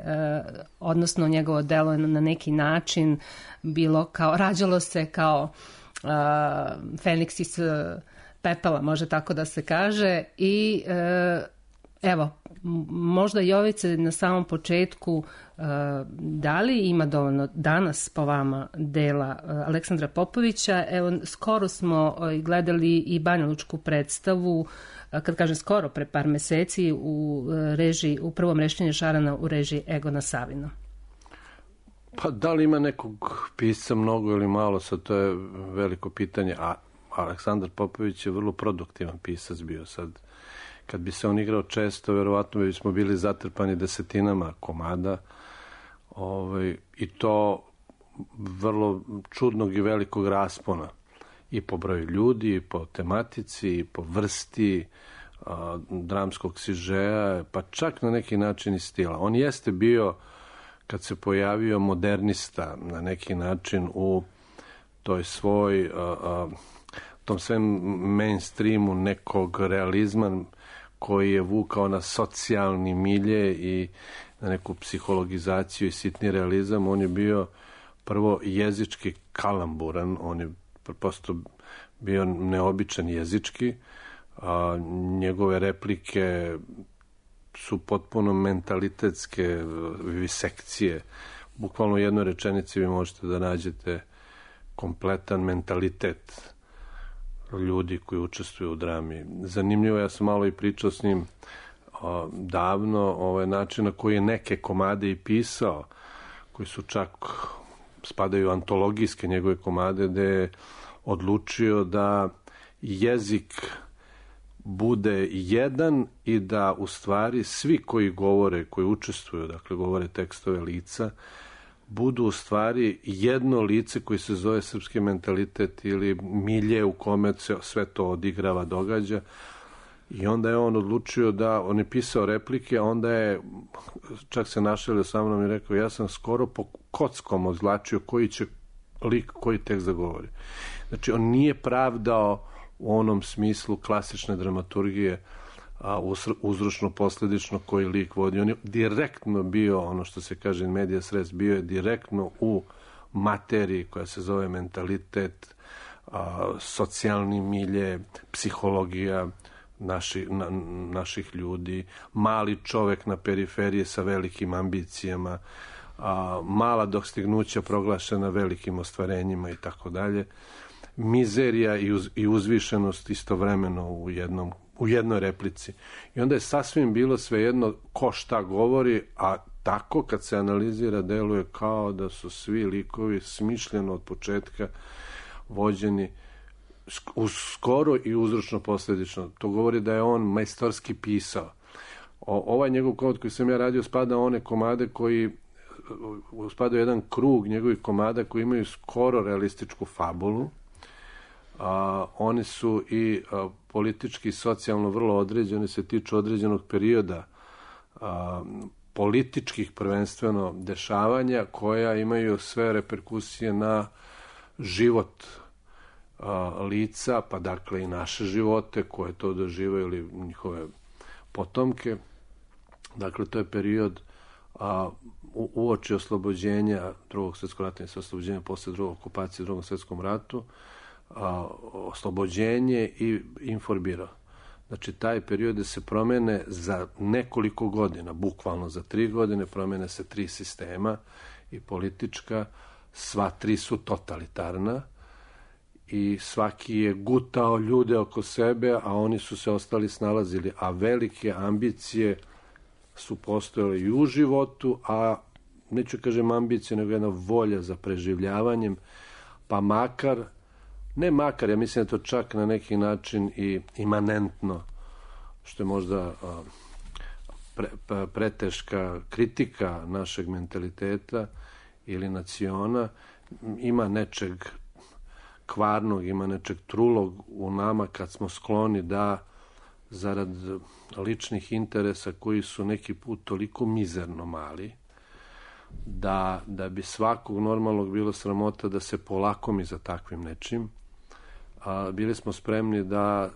odnosno njegovo delo na neki način bilo kao, rađalo se kao Feniks iz pepela, može tako da se kaže. I evo, možda Jovice na samom početku, da li ima dovoljno danas po vama dela Aleksandra Popovića? Evo, skoro smo gledali i banjalučku predstavu, kad kažem skoro, pre par meseci, u prvom rešenju Šarana u režiji Egona Savina. Pa da li ima nekog pisca mnogo ili malo, sad to je veliko pitanje, a Aleksandar Popović je vrlo produktivan pisac bio sad. Kad bi se on igrao često, verovatno bismo bili zatrpani desetinama komada, i to vrlo čudnog i velikog raspona. I po broju ljudi, i po tematici, i po vrsti dramskog sižeja, pa čak na neki način i stila. On jeste bio, kad se pojavio, modernista na neki način u toj svoj, tom svem mainstreamu nekog realizma koji je vukao na socijalni milje i na neku psihologizaciju i sitni realizam. On je bio prvo jezički kalamburan, on je prosto bio neobičan jezički, njegove replike su potpuno mentalitetske visekcije. Bukvalno u jednoj rečenici vi možete da nađete kompletan mentalitet ljudi koji učestvuju u drami. Zanimljivo, ja sam malo i pričao s njim davno, način na koji je neke komade i pisao, koji su čak spadaju u antologijske njegove komade, gde je odlučio da jezik bude jedan i da u stvari svi koji govore, koji učestvuju, dakle govore tekstove lica, budu u stvari jedno lice koji se zove srpski mentalitet ili milje u kome se sve to odigrava, događa. I onda je on odlučio da, on je pisao replike, a onda je, čak se našalio sa mnom i rekao, ja sam skoro po kockom odlačio koji će lik, koji tekst da govori. Znači, on nije pravdao u onom smislu klasične dramaturgije, uzročno-posledično koji lik vodi. On je direktno bio, ono što se kaže in medias res, bio je direktno u materiji koja se zove mentalitet, socijalni milje, psihologija naših ljudi, mali čovek na periferiji sa velikim ambicijama, mala dostignuća proglašena velikim ostvarenjima i tako dalje. Mizerija i uzvišenost istovremeno u jednoj replici. I onda je sasvim bilo svejedno ko šta govori, a tako kad se analizira deluje kao da su svi likovi smišljeno od početka vođeni skoro i uzročno-posledično. To govori da je on majstorski pisao. Ovaj njegov komad koji sam ja radio spada one komade koji spada jedan krug njegovih komada koji imaju skoro realističku fabulu. Oni su i politički i socijalno vrlo određeni, se tiču određenog perioda političkih prvenstveno dešavanja koja imaju sve reperkusije na život lica, pa dakle i naše živote koje to doživaju ili njihove potomke. Dakle, to je period uoči oslobođenja drugog svjetskog rata i oslobođenja posle drugog okupacije u drugom svjetskom ratu, oslobođenje i informbiro. Znači, taj period se promene za nekoliko godina, bukvalno za 3 godine, promene se 3 sistema i politička, sva 3 su totalitarna i svaki je gutao ljude oko sebe, a oni su se ostali snalazili, a velike ambicije su postojale i u životu, a neću kažem ambicije, nego jedna volja za preživljavanjem, pa makar, ja mislim da to čak na neki način i imanentno, što je možda preteška kritika našeg mentaliteta ili naciona, ima nečeg kvarnog, ima nečeg trulog u nama kad smo skloni da zarad ličnih interesa koji su neki put toliko mizerno mali, da bi svakog normalnog bilo sramota da se polakomi za takvim nečim, bili smo spremni da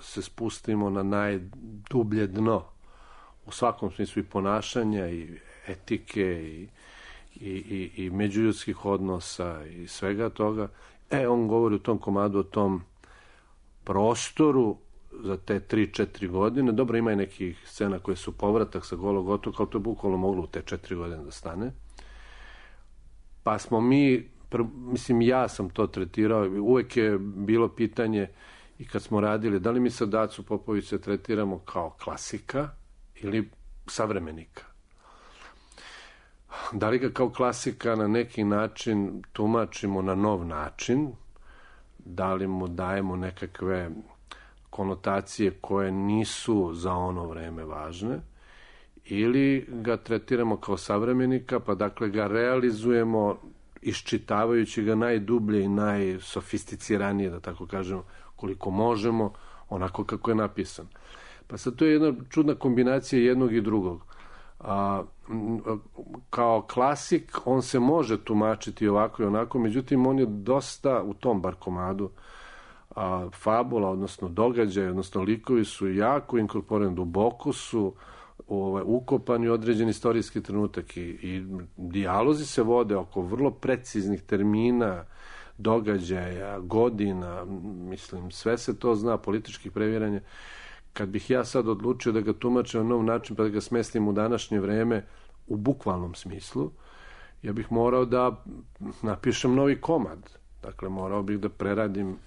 se spustimo na najdublje dno u svakom smislu i ponašanja i etike i međuljudskih odnosa i svega toga. On govori u tom komadu o tom prostoru za te 3-4 godine. Dobro, ima i nekih scena koje su povratak sa Golog otoka, ali to je bukvalno moglo u te 4 godine da stane. Pa smo mi, mislim, ja sam to tretirao, uvek je bilo pitanje i kad smo radili, da li mi sad Dacu Popovića tretiramo kao klasika ili savremenika? Da li ga kao klasika na neki način tumačimo na nov način? Da li mu dajemo nekakve konotacije koje nisu za ono vreme važne? Ili ga tretiramo kao savremenika, pa dakle ga realizujemo iščitavajući ga najdublje i najsofisticiranije, da tako kažemo, koliko možemo, onako kako je napisan. Pa sad to je jedna čudna kombinacija jednog i drugog. Kao klasik on se može tumačiti ovako i onako, međutim on je dosta u tom bar komadu fabula, odnosno događaj, odnosno likovi su jako inkorporirani, duboko su ukopani određen istorijski trenutak i dijalozi se vode oko vrlo preciznih termina, događaja, godina, mislim, sve se to zna, političkih previranja. Kad bih ja sad odlučio da ga tumačim na nov način pa da ga smestim u današnje vreme u bukvalnom smislu, ja bih morao da napišem novi komad. Dakle, morao bih da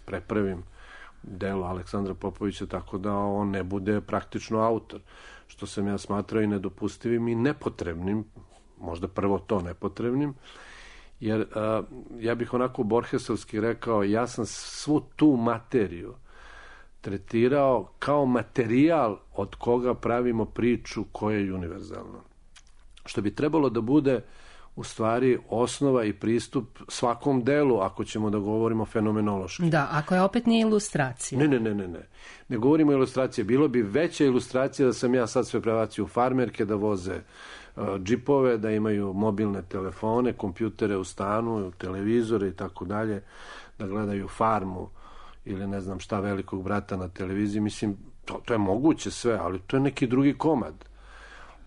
prepravim delo Aleksandra Popovića tako da on ne bude praktično autor, što sam ja smatrao i nedopustivim i nepotrebnim, možda prvo to nepotrebnim, jer ja bih onako borhesovski rekao, ja sam svu tu materiju tretirao kao materijal od koga pravimo priču koja je univerzalna. Što bi trebalo da bude u stvari osnova i pristup svakom delu, ako ćemo da govorimo fenomenološki. Da, ako je opet nije ilustracija. Ne. Ne govorimo o ilustraciji. Bilo bi veća ilustracija da sam ja sad sve prebacio u farmerke, da voze džipove, da imaju mobilne telefone, kompjutere u stanu, televizore i tako dalje, da gledaju Farmu ili ne znam šta, Velikog brata na televiziji. Mislim, to je moguće sve, ali to je neki drugi komad.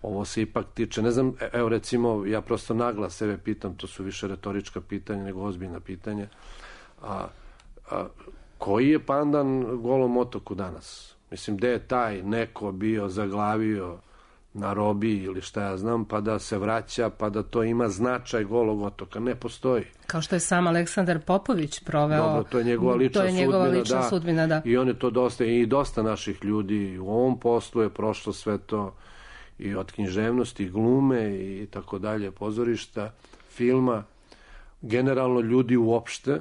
Ovo se ipak tiče, ne znam, evo recimo, ja prosto naglas sebe pitam, to su više retorička pitanja nego ozbiljna pitanja, koji je pandan Golom otoku danas? Mislim, gde je taj neko bio zaglavio na robiji ili šta ja znam, pa da se vraća, pa da to ima značaj Golog otoka? Ne postoji. Kao što je sam Aleksandar Popović proveo. Dobro, to je njegova lična sudbina, da. I on je to dosta naših ljudi u ovom poslu je prošlo sve to, i od književnosti, i glume i tako dalje, pozorišta, filma, generalno ljudi uopšte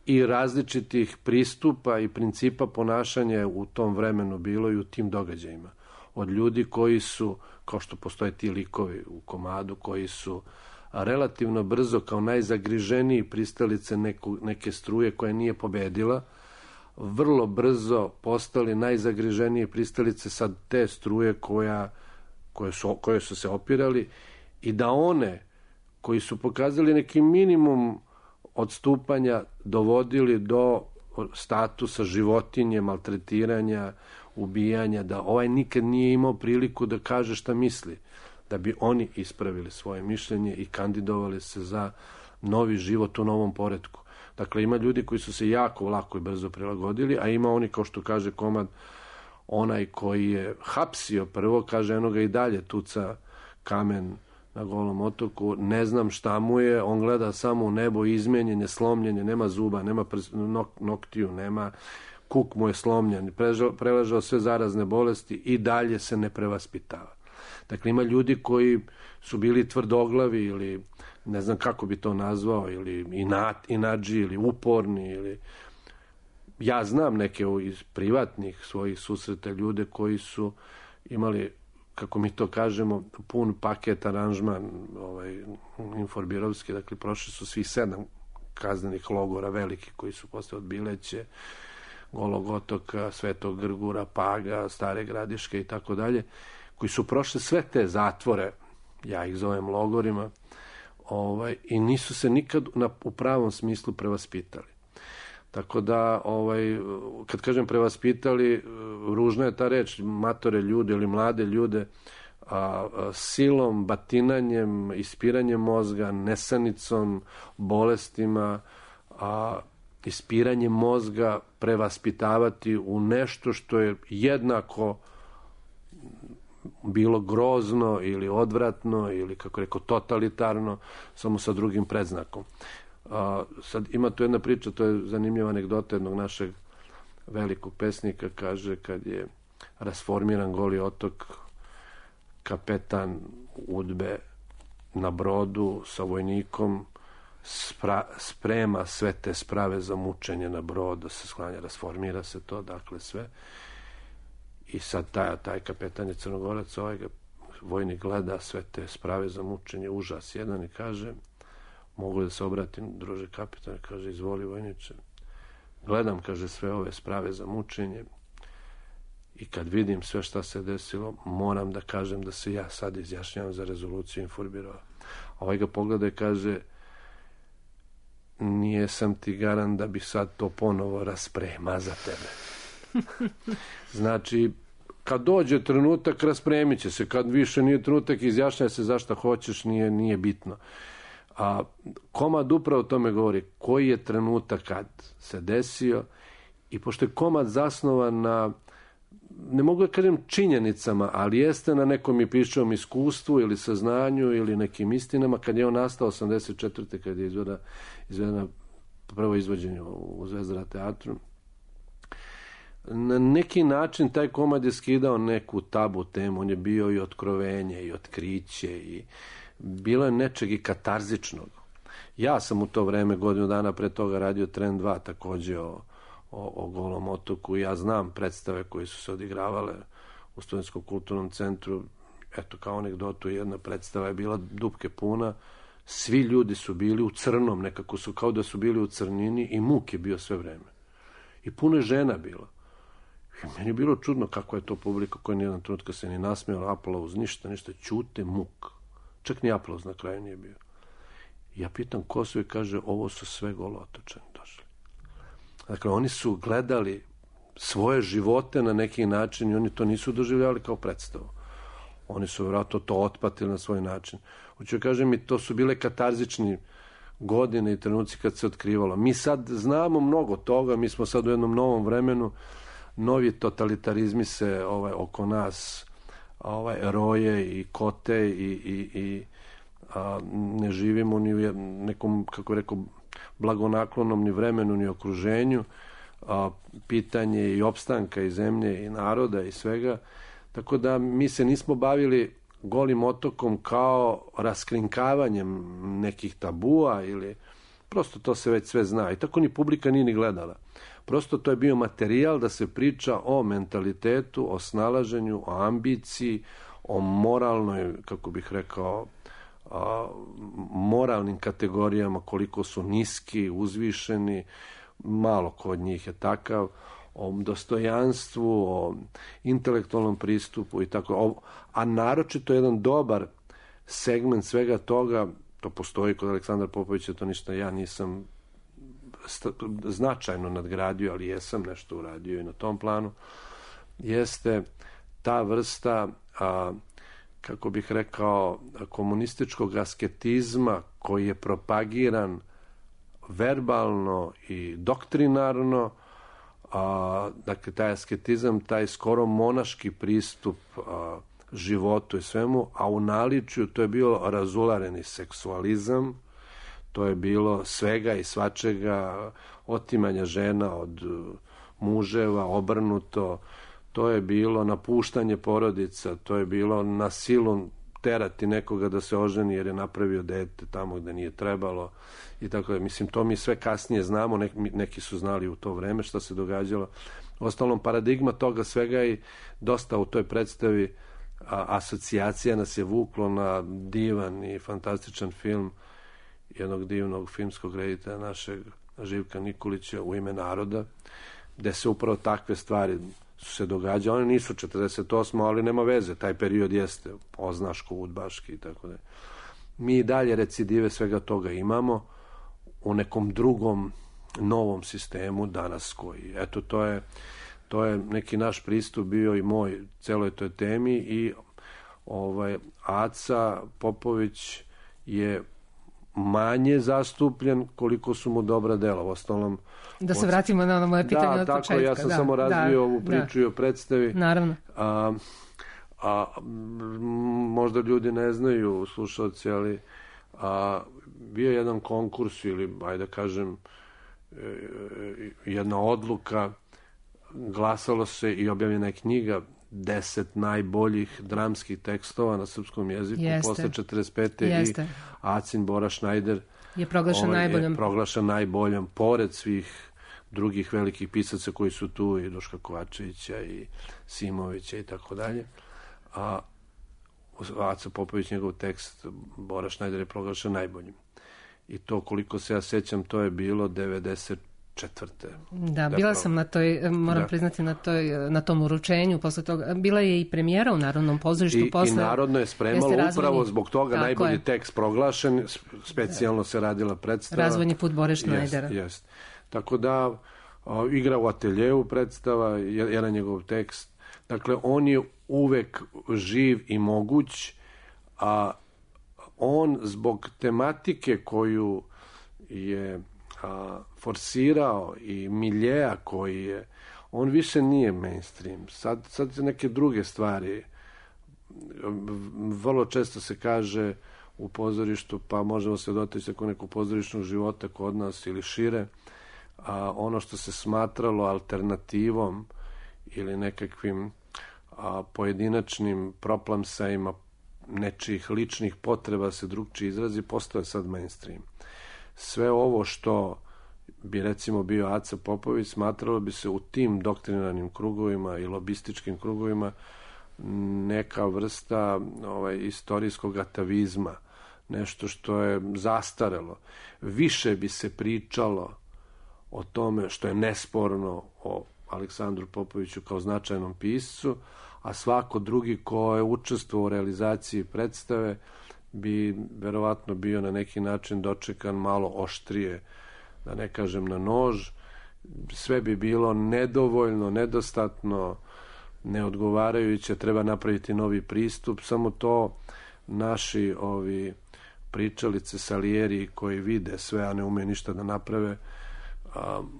i različitih pristupa i principa ponašanja u tom vremenu bilo i u tim događajima. Od ljudi koji su, kao što postoje ti likovi u komadu, koji su relativno brzo kao najzagriženiji pristalice neke struje koja nije pobedila, vrlo brzo postali najzagriženije pristalice sad te struje koje su se opirali, i da one koji su pokazali neki minimum odstupanja dovodili do statusa životinje, maltretiranja, ubijanja, da ovaj nikad nije imao priliku da kaže šta misli, da bi oni ispravili svoje mišljenje i kandidovali se za novi život u novom poretku. Dakle, ima ljudi koji su se jako lako i brzo prilagodili, a ima oni, kao što kaže komad, onaj koji je hapsio prvo, kaže, eno ga i dalje tuca kamen na Golom otoku, ne znam šta mu je, on gleda samo u nebo, izmenjen je, slomljen je, nema zuba, nema noktiju, nema, kuk mu je slomljen, preležao sve zarazne bolesti i dalje se ne prevaspitava. Dakle, ima ljudi koji su bili tvrdoglavi ili ne znam kako bi to nazvao, ili inađi, ili uporni, ili ja znam neke iz privatnih svojih susreta ljude koji su imali, kako mi to kažemo, pun paket aranžman inforbirovski, dakle prošli su svih 7 kaznenih logora veliki koji su posle od Bileće, Golog otoka, Svetog Grgura, Paga, Stare Gradiške i tako dalje, koji su prošli sve te zatvore, ja ih zovem logorima, i nisu se nikad u pravom smislu prevaspitali. Tako da, kad kažem prevaspitali, ružna je ta reč, matore ljude ili mlade ljude, silom, batinanjem, ispiranjem mozga, nesanicom, bolestima, ispiranje mozga prevaspitavati u nešto što je jednako bilo grozno ili odvratno ili, kako rekao, totalitarno, samo sa drugim predznakom. Sad ima tu jedna priča, to je zanimljiva anegdota jednog našeg velikog pesnika, kaže, kad je rasformiran Goli otok, kapetan Udbe na brodu sa vojnikom sprema sve te sprave za mučenje na brod, da se sklanja, rasformira se to, dakle sve. I sad taj kapetan je Crnogorac, vojnik gleda sve te sprave za mučenje, užas jedan, i kaže, mogu da se obratim, druže kapitan, kaže, izvoli vojniče, gledam, kaže, sve ove sprave za mučenje i kad vidim sve šta se desilo, moram da kažem da se ja sad izjašnjavam za rezoluciju Inforbirova. A ga pogleda i kaže, nije sam ti garant da bi sad to ponovo rasprema za tebe. Znači, kad dođe trenutak, raspremit će se. Kad više nije trenutak, izjašnjaj se zašto hoćeš, nije bitno. A komad upravo o tome govori, koji je trenutak kad se desio, i pošto je komad zasnovan na, ne mogu da kažem činjenicama, ali jeste na nekom i piševom iskustvu ili saznanju ili nekim istinama, kad je on nastao 84. kad je izvedena prvo izvođenje u Zvezdara teatru. Na neki način taj komad je skidao neku tabu temu, on je bio i otkrovenje i otkriće i bilo je nečeg i katarzičnog. Ja sam u to vreme, godinu dana pre toga, radio Trend 2 takođe o Golom otoku. Ja znam predstave koje su se odigravale u Studentskom kulturnom centru. Eto, kao anegdotu, jedna predstava je bila dupke puna, svi ljudi su bili u crnom, nekako su kao da su bili u crnini i muk je bio sve vreme. I puno je žena bilo. I meni je bilo čudno kako je to publika koja nijedan trenutka se ni nasmijala, aplauz, ništa, ćute, muk. Čak ni aplauz na kraju nije bio. Ja pitam ko su i kaže, ovo su sve Golotočani došli. Dakle, oni su gledali svoje živote na neki način i oni to nisu doživljavali kao predstavu. Oni su vjerojatno to otpatili na svoj način. Hoću kažem, i to su bile katarzični godine i trenuci kad se otkrivalo. Mi sad znamo mnogo toga, mi smo sad u jednom novom vremenu, novi totalitarizmi se oko nas roje i kote i ne živimo ni u nekom, kako rekao, blagonaklonom ni vremenu ni okruženju. Pitanje i opstanka i zemlje i naroda i svega. Tako da mi se nismo bavili Golim otokom kao raskrinkavanjem nekih tabua ili prosto to se već sve zna. I tako ni publika nije ni gledala. Prosto to je bio materijal da se priča o mentalitetu, o snalaženju, o ambiciji, o moralnoj, kako bih rekao, moralnim kategorijama, koliko su niski, uzvišeni, malo ko od njih je takav, o dostojanstvu, o intelektualnom pristupu i tako. A naročito jedan dobar segment svega toga, to postoji kod Aleksandra Popovića, to ništa ja nisam značajno nadgradio, ali jesam nešto uradio i na tom planu, jeste ta vrsta, kako bih rekao, komunističkog asketizma koji je propagiran verbalno i doktrinarno. Dakle, taj asketizam, taj skoro monaški pristup životu i svemu, a u naličju to je bio razulareni seksualizam, to je bilo svega i svačega, otimanja žena od muževa, obrnuto, to je bilo napuštanje porodica, to je bilo na silu terati nekoga da se oženi jer je napravio dete tamo gde nije trebalo i tako da. Mislim, to mi sve kasnije znamo, neki su znali u to vreme šta se događalo. Ostalom, paradigma toga svega i dosta u toj predstavi asocijacija nas je vuklo na divan i fantastičan film jednog divnog filmskog reditelja našeg Živka Nikolića, U ime naroda, gde se upravo takve stvari su se događale. One nisu 48. ali nema veze, taj period jeste oznaško, udbaški i tako da. Mi i dalje recidive svega toga imamo u nekom drugom novom sistemu danas koji, eto, to je neki naš pristup bio i moj celoj toj temi i Aca Popović je manje zastupljen koliko su mu dobra dela. U ostalom, Da se vratimo na ono moje pitanje od početka. Da, tako, ja sam samo razvio ovu priču i o predstavi. Naravno. Možda ljudi ne znaju, slušalci, ali bio je jedan konkurs ili, ajde da kažem, jedna odluka, glasalo se i objavljena je knjiga 10 najboljih dramskih tekstova na srpskom jeziku posle 45. i Acin Bora Šnajder je proglašen najboljom, pored svih drugih velikih pisaca koji su tu, i Duška Kovačevića i Simovića i tako dalje. Aca Popović, njegov tekst Bora Šnajder je proglašen najboljim. I to, koliko se ja sećam, to je bilo 94. Da, bila sam na toj, moram priznati, na tom uručenju. Posle toga bila je i premijera u Narodnom pozorištu. I Narodno je spremalo upravo zbog toga najbolji tekst proglašen, specijalno se radila predstava. Razvojni put Bore Šnajdera. Jest. Tako da, igra u ateljevu predstava, jedan njegov tekst. Dakle, on je uvek živ i moguć, a on zbog tematike koju je forsirao i miljeja koji je, on više nije mainstream. Sad se neke druge stvari, vrlo često se kaže u pozorištu, pa možemo se dotaći ako nekog pozorišnog života kod nas ili šire, ono što se smatralo alternativom ili nekakvim pojedinačnim proplamsajima nečijih ličnih potreba se drugčije izrazi, postoje sad mainstream. Sve ovo što bi recimo bio Aca Popović, smatralo bi se u tim doktrinarnim krugovima i lobističkim krugovima neka vrsta istorijskog atavizma, nešto što je zastarelo. Više bi se pričalo o tome što je nesporno o Aleksandru Popoviću kao značajnom piscu, a svako drugi ko je učestvovao u realizaciji predstave bi verovatno bio na neki način dočekan malo oštrije, da ne kažem na nož. Sve bi bilo nedovoljno, nedostatno, neodgovarajuće, treba napraviti novi pristup. Samo to naši pričalice, Salijeri koji vide sve, a ne umeju ništa da naprave,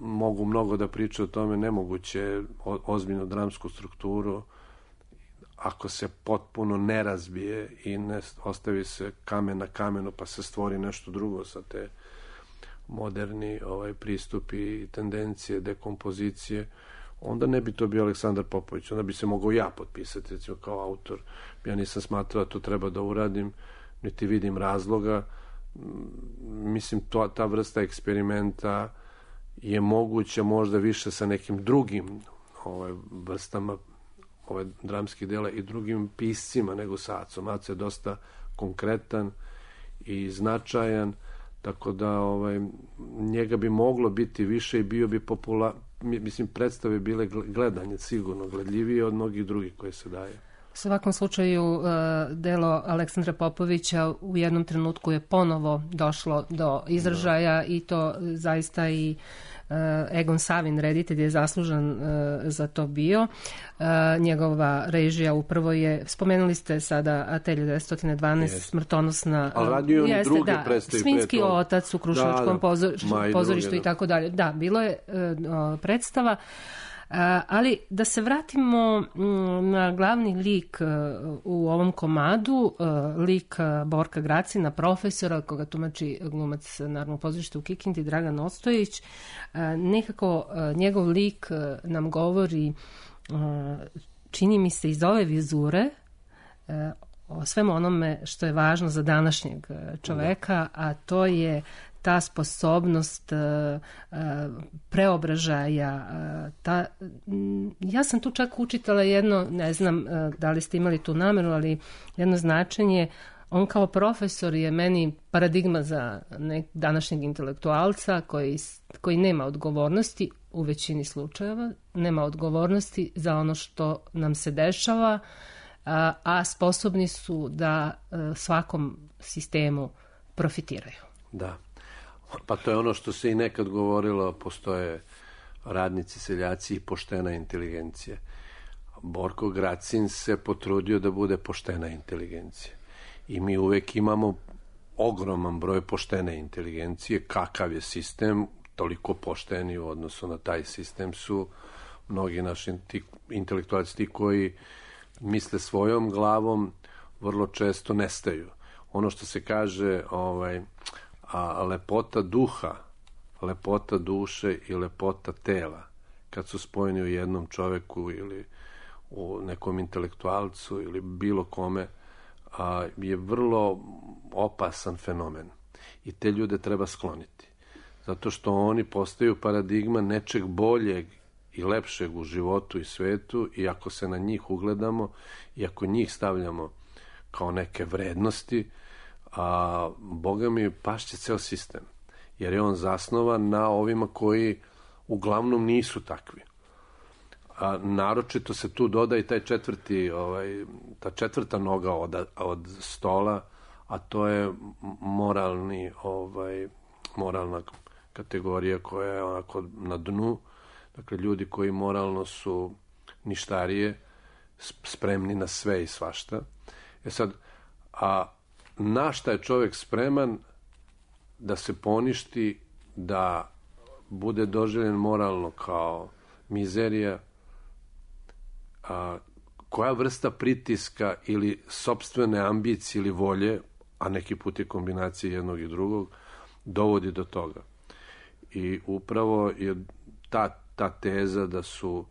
mogu mnogo da pričaju o tome. Nemoguće ozbiljnu dramsku strukturu ako se potpuno ne razbije i ne ostavi se kamen na kamenu pa se stvori nešto drugo sa te moderni pristupi i tendencije, dekompozicije, onda ne bi to bio Aleksandar Popović, onda bi se mogao ja potpisati recimo kao autor. Ja nisam smatrao da to treba da uradim, niti vidim razloga. Mislim, ta vrsta eksperimenta je moguća možda više sa nekim drugim vrstama ove dramskih dela i drugim piscima nego sa Acom. Aca je dosta konkretan i značajan, tako da njega bi moglo biti više i bio bi mislim, predstave bile gledanje, sigurno gledljivije od mnogih drugih koje se daje. U svakom slučaju, delo Aleksandra Popovića u jednom trenutku je ponovo došlo do izražaja i to zaista i Egon Savin, reditelj, je zaslužan za to bio. Njegova režija upravo je, spomenuli ste sada Atelje 912, smrtonosna. Ali radio je druge predstavi. Svinjski otac u Kruševačkom pozorištu i tako dalje. Da, bilo je predstava. Ali da se vratimo na glavni lik u ovom komadu, lik Borka Gracina, profesora koga tumači glumac Narodnog pozorišta u Kikindi Dragan Ostojić. Nekako njegov lik nam govori, čini mi se iz ove vizure, o svemu onome što je važno za današnjeg čoveka, a to je ta sposobnost preobražaja. Ja sam tu čak učitala jedno, ne znam da li ste imali tu nameru, ali jedno značenje. On kao profesor je meni paradigma za današnjeg intelektualca koji nema odgovornosti u većini slučajeva, nema odgovornosti za ono što nam se dešava, a sposobni su da svakom sistemu profitiraju. Da. Pa to je ono što se i nekad govorilo, postoje radnici, seljaci i poštena inteligencija. Borko Gracin se potrudio da bude poštena inteligencija. I mi uvek imamo ogroman broj poštene inteligencije. Kakav je sistem, toliko pošteni u odnosu na taj sistem su mnogi naši intelektualci, ti koji misle svojom glavom, vrlo često nestaju. Ono što se kaže lepota duha, lepota duše i lepota tela, kad su spojeni u jednom čoveku ili u nekom intelektualcu ili bilo kome, je vrlo opasan fenomen. I te ljude treba skloniti. Zato što oni postaju paradigma nečeg boljeg i lepšeg u životu i svetu, i ako se na njih ugledamo i ako njih stavljamo kao neke vrednosti, Boga mi, pašće ceo sistem. Jer je on zasnovan na ovima koji uglavnom nisu takvi. Naročito se tu doda i taj ta četvrta noga od stola, a to je moralna kategorija koja je onako na dnu. Dakle, ljudi koji moralno su ništarije, spremni na sve i svašta. Sad, na šta je čovjek spreman da se poništi, da bude doživljen moralno kao mizerija, koja vrsta pritiska ili sopstvene ambicije ili volje, a neki put je kombinacija jednog i drugog, dovodi do toga. I upravo je ta teza da su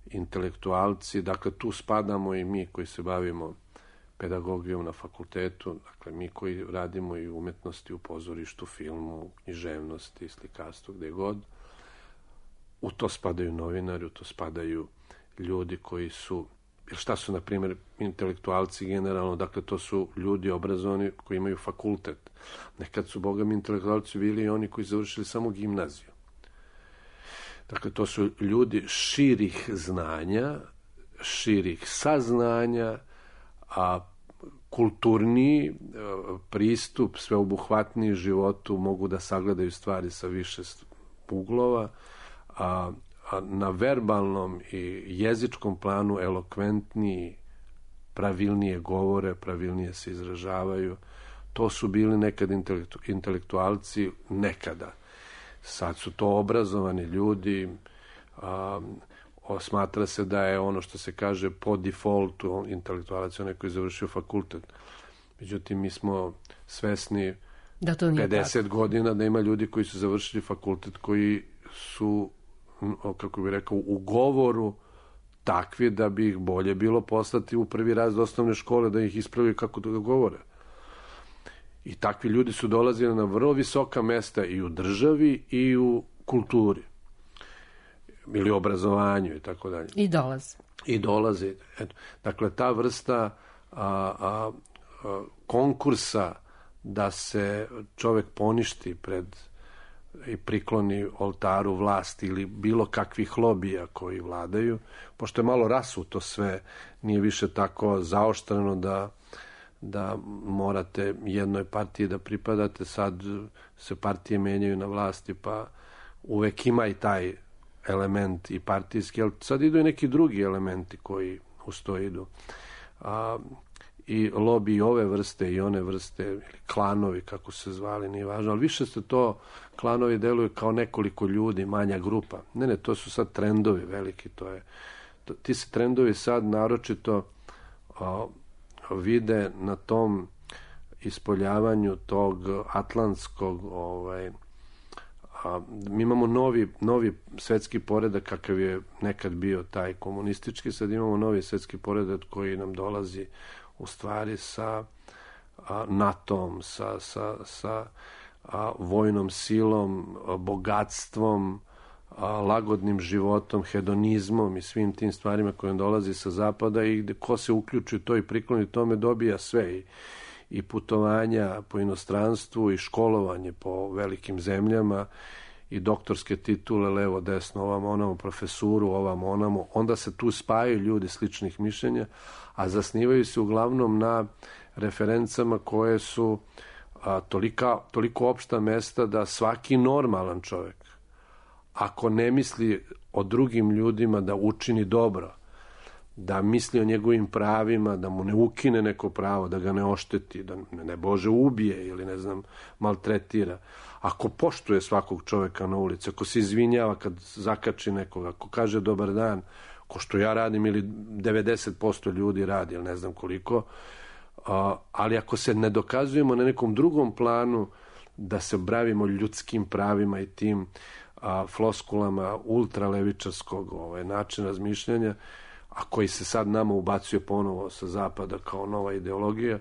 intelektualci, dakle tu spadamo i mi koji se bavimo pedagogijom na fakultetu, dakle mi koji radimo i umetnosti u pozorištu, filmu, književnosti, slikarstvu, gde god, u to spadaju novinari, u to spadaju ljudi koji su, jer šta su, na primjer, intelektualci generalno, dakle to su ljudi obrazovani koji imaju fakultet. Nekad su, bogami, intelektualci bili i oni koji završili samo gimnaziju. Dakle, to su ljudi širih znanja, širih saznanja, a kulturniji pristup, sveobuhvatniji životu, mogu da sagledaju stvari sa više uglova, a na verbalnom i jezičkom planu elokventniji, pravilnije govore, pravilnije se izražavaju. To su bili nekad intelektualci, nekada. Sad su to obrazovani ljudi, smatra se da je ono što se kaže po defaultu intelektualac onaj koji je završio fakultet. Međutim, mi smo svesni da 50 godina da ima ljudi koji su završili fakultet koji su, kako bih rekao, u govoru takvi da bi ih bolje bilo poslati u prvi raz do osnovne škole da ih ispravi kako da govore. I takvi ljudi su dolazili na vrlo visoka mesta i u državi i u kulturi ili obrazovanju i tako dalje. I dolaze. Dakle, ta vrsta konkursa da se čovek poništi pred i prikloni oltaru vlasti ili bilo kakvih lobija koji vladaju, pošto je malo rasuto sve, nije više tako zaoštreno da morate jednoj partiji da pripadate, sad se partije menjaju na vlasti, pa uvek ima i taj element i partijski, ali sad idu i neki drugi elementi koji uz to idu. I lobi ove vrste i one vrste, ili klanovi, kako se zvali, nije važno, ali više se to, klanovi deluju kao nekoliko ljudi, manja grupa. Ne, to su sad trendovi veliki, ti se trendovi sad naročito vide na tom ispoljavanju tog atlantskog, mi imamo novi svetski poredak kakav je nekad bio taj komunistički, sad imamo novi svetski poredak koji nam dolazi u stvari sa NATO-om, sa vojnom silom, bogatstvom, lagodnim životom, hedonizmom i svim tim stvarima koje dolazi sa zapada, i gde ko se uključi to i prikloni tome dobija sve, i putovanja po inostranstvu i školovanje po velikim zemljama i doktorske titule levo, desno, ovamo, onamo, profesuru, ovamo, onamo. Onda se tu spajaju ljudi sličnih mišljenja, a zasnivaju se uglavnom na referencama koje su toliko opšta mesta da svaki normalan čovek, ako ne misli o drugim ljudima da učini dobro, da misli o njegovim pravima, da mu ne ukine neko pravo, da ga ne ošteti, da ne Bože ubije ili ne znam, maltretira. Ako poštuje svakog čoveka na ulici, ako se izvinjava kad zakači nekoga, ako kaže dobar dan, ko što ja radim ili 90% ljudi radi, ili ne znam koliko, ali ako se ne dokazujemo na nekom drugom planu da se bavimo ljudskim pravima i tim floskulama ultralevičarskog načina razmišljanja, a koji se sad nama ubacuje ponovo sa zapada kao nova ideologija,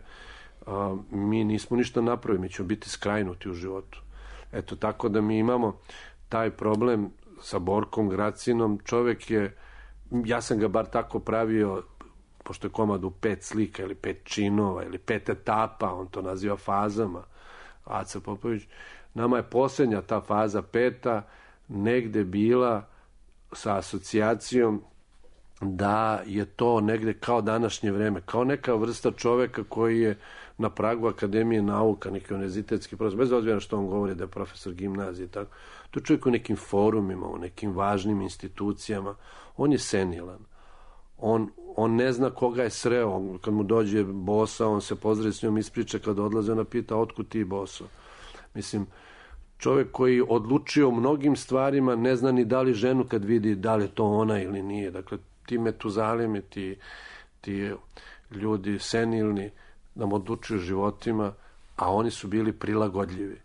mi nismo ništa napravili, mi ćemo biti skrajnuti u životu. Eto, tako da mi imamo taj problem sa Borkom Gracinom. Čovek je, ja sam ga bar tako pravio, pošto je komad u 5 slika ili 5 činova ili 5 etapa, on to naziva fazama, Aca Popović. Nama je posljednja ta faza 5. negde bila sa asocijacijom da je to negde kao današnje vreme, kao neka vrsta čoveka koji je na pragu Akademije nauka, neki univerzitetski profesor, bez obzira što on govori da je profesor gimnazije, tako. To je čovjek u nekim forumima, u nekim važnim institucijama. On je senilan. On ne zna koga je sreo. Kad mu dođe bosa, on se pozdravi s njom, ispriča, kad odlaze, ona pita, otkud ti, boso? Mislim, čovjek koji odlučio o mnogim stvarima, ne zna ni da li ženu kad vidi da li je to ona ili nije. Dakle, ti metuzalimi, ti ljudi senilni nam odlučuju životima, a oni su bili prilagodljivi.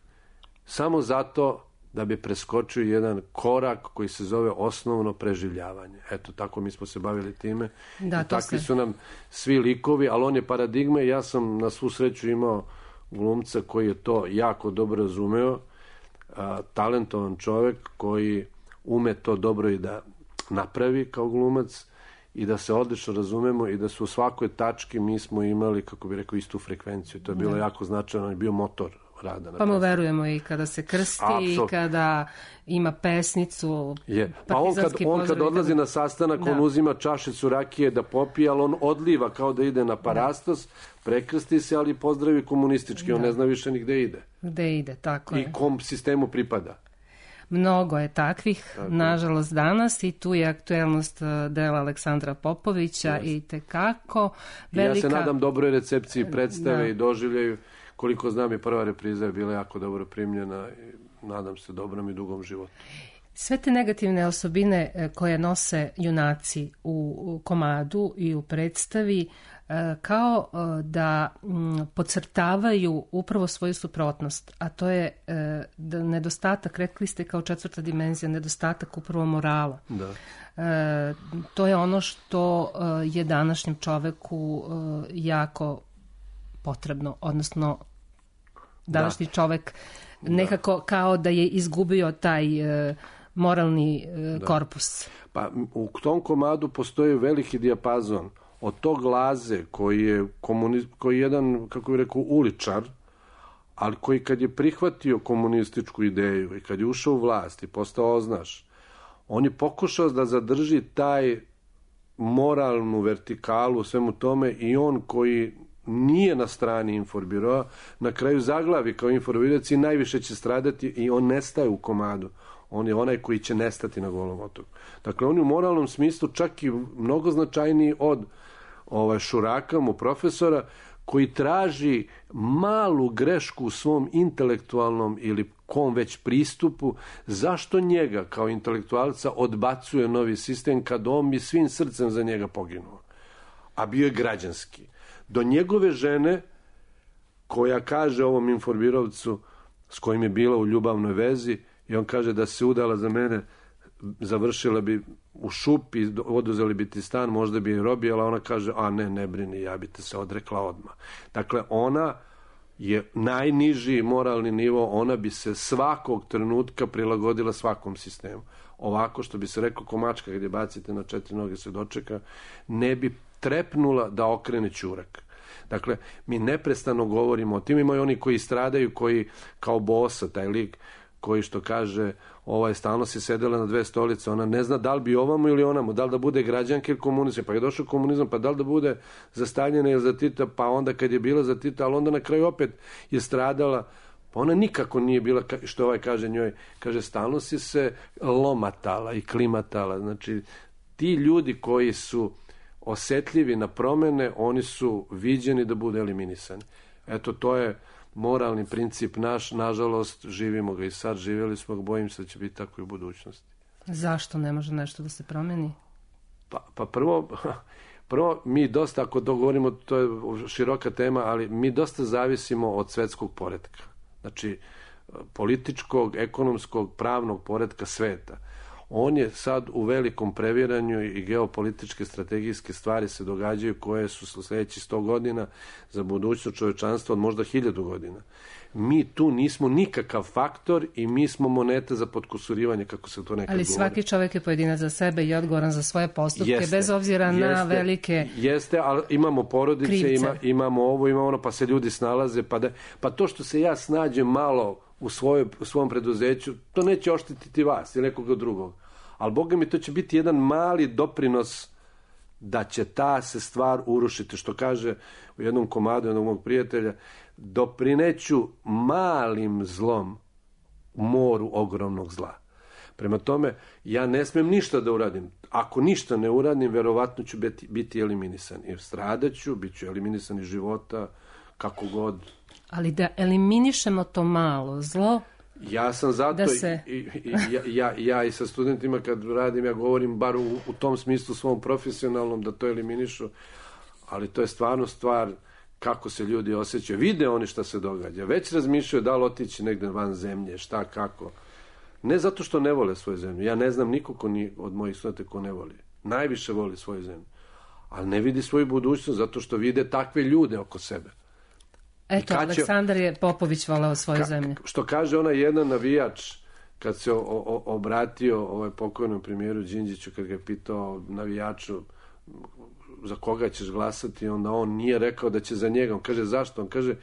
Samo zato da bi preskočio jedan korak koji se zove osnovno preživljavanje. Eto, tako mi smo se bavili time. Da, i takvi su nam svi likovi, ali on je paradigma i ja sam na svu sreću imao glumca koji je to jako dobro razumeo, talentovan čovek koji ume to dobro i da napravi kao glumac i da se odlično razumemo i da su u svakoj tački mi smo imali, kako bi rekao, istu frekvenciju. To je bilo jako značajno, on je bio motor rada. Pa mu verujemo i kada se krsti i kada ima pesnicu. Pa on kad odlazi na sastanak, on uzima čašicu rakije da popije, ali on odliva kao da ide na Parastos, prekrsti se, ali pozdravi komunistički, on ne zna više ni gde ide. Gde ide, tako je. I kom sistemu pripada. Mnogo je takvih, nažalost, danas i tu je aktuelnost dela Aleksandra Popovića i tekako velika. Ja se nadam dobroj recepciji predstave i doživljaju. Koliko znam i prva repriza je bila jako dobro primljena i nadam se dobrom i dugom životu. Sve te negativne osobine koje nose junaci u komadu i u predstavi kao da podcrtavaju upravo svoju suprotnost, a to je nedostatak, rekli ste kao 4. dimenzija, nedostatak upravo morala. Da. To je ono što je današnjem čoveku jako potrebno, odnosno današnji čovek nekako kao da je izgubio taj moralni korpus. Pa u tom komadu postoji veliki dijapazon od tog Laze koji je jedan, kako bih rekao, uličar, ali koji kad je prihvatio komunističku ideju i kad je ušao u vlast i postao oznaš, on je pokušao da zadrži taj moralnu vertikalu u svemu tome i on koji nije na strani Inforbiroa, na kraju zaglavi kao Inforbirac i najviše će stradati i on nestaje u komadu. On je onaj koji će nestati na Golom otoku. Dakle, on je u moralnom smislu čak i mnogo značajniji od Šuraka, mu profesora, koji traži malu grešku u svom intelektualnom ili kom već pristupu, zašto njega kao intelektualca odbacuje novi sistem kad on bi svim srcem za njega poginuo. A bio je građanski. Do njegove žene, koja kaže ovom Inforbirovcu s kojim je bila u ljubavnoj vezi, i on kaže da se udala za mene, završila bi u šupi, oduzeli bi ti stan, možda bi je robijala, ona kaže, a ne brini, ja bi te se odrekla odmah. Dakle, ona je najniži moralni nivo, ona bi se svakog trenutka prilagodila svakom sistemu. Ovako, što bi se reklo, ko mačka kad je bacite na 4 noge se dočeka, ne bi trepnula da okrene ćurak. Dakle, mi neprestano govorimo o tim, imaju oni koji stradaju, koji kao bosa, taj lik, koji što kaže, stalno si sedela na 2 stolice, ona ne zna da li bi ovamo ili onamo, da li da bude građanka ili komunizam, pa je došao komunizam, pa da li da bude za Staljina ili za Tita, pa onda kad je bila za Tita, ali onda na kraju opet je stradala, pa ona nikako nije bila, što kaže njoj, kaže, stalno si se lomatala i klimatala, znači, ti ljudi koji su osetljivi na promene, oni su viđeni da budu eliminisani. Eto, to je moralni princip naš, nažalost, živimo ga i sad, živjeli smo ga, bojim se da će biti tako i u budućnosti. Zašto ne može nešto da se promeni? Pa prvo, mi dosta, ako to govorimo, to je široka tema, ali mi dosta zavisimo od svetskog poretka. Znači, političkog, ekonomskog, pravnog poretka sveta. On je sad u velikom previranju i geopolitičke strategijske stvari se događaju koje su sljedeći 100 godina za budućnost čovečanstva od možda 1000 godina. Mi tu nismo nikakav faktor i mi smo moneta za potkusurivanje, kako se to nekad govori. Ali svaki čovjek je pojedinac za sebe i odgovoran za svoje postupke, bez obzira na velike Jeste, ali imamo porodice, imamo ovo, imamo ono, pa se ljudi snalaze, pa to što se ja snađem malo u svom preduzeću, to neće oštetiti vas ili nekoga drugog. Ali, Boga mi, to će biti jedan mali doprinos da će ta se stvar urušiti. Što kaže u jednom komadu jednog mog prijatelja, doprineću malim zlom u moru ogromnog zla. Prema tome, ja ne smem ništa da uradim. Ako ništa ne uradim, verovatno ću biti eliminisan. Jer stradaću, bit ću eliminisan iz života, kako god. Ali da eliminišemo to malo zlo, ja sam zato ja i sa studentima kad radim, ja govorim bar u tom smislu svom profesionalnom da to eliminišu, ali to je stvarno stvar kako se ljudi osjećaju. Vide oni šta se događa. Već razmišljaju da li otići negde van zemlje, šta, kako. Ne zato što ne vole svoju zemlju. Ja ne znam niko od mojih studenta ko ne voli. Najviše voli svoju zemlju. Ali ne vidi svoju budućnost zato što vide takve ljude oko sebe. Eto, Aleksandar je Popović voleo svoju zemlju. Što kaže onaj jedan navijač, kad se obratio pokojnom premijeru Đinđiću, kad ga je pitao navijaču za koga ćeš glasati, onda on nije rekao da će za njega. On kaže, zašto? On kaže,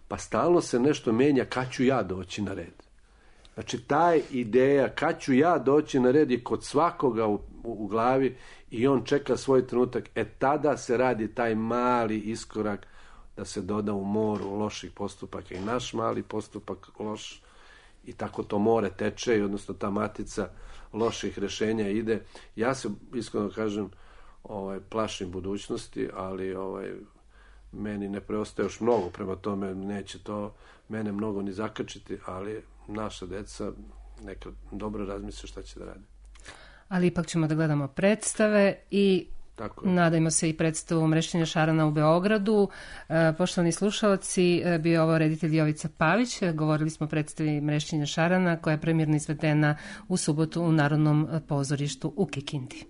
pa stalno se nešto menja, kad ću ja doći na red. Znači, ta ideja, kad ću ja doći na red, je kod svakoga u glavi i on čeka svoj trenutak. Tada se radi taj mali iskorak da se doda u moru loših postupaka i naš mali postupak loš i tako to more teče i odnosno ta matica loših rešenja ide. Ja se, iskreno kažem, plašim budućnosti, ali meni ne preostaje još mnogo, prema tome neće to mene mnogo ni zakačiti, ali naša deca neka dobro razmisle šta će da radi. Ali ipak ćemo da gledamo predstave i nadajmo se i predstavu Mrešćenja šarana u Beogradu. Poštovani slušalci, bio je ovo reditelj Jovica Pavić. Govorili smo o predstavi Mrešćenja šarana koja je premijerno izvedena u subotu u Narodnom pozorištu u Kikindi.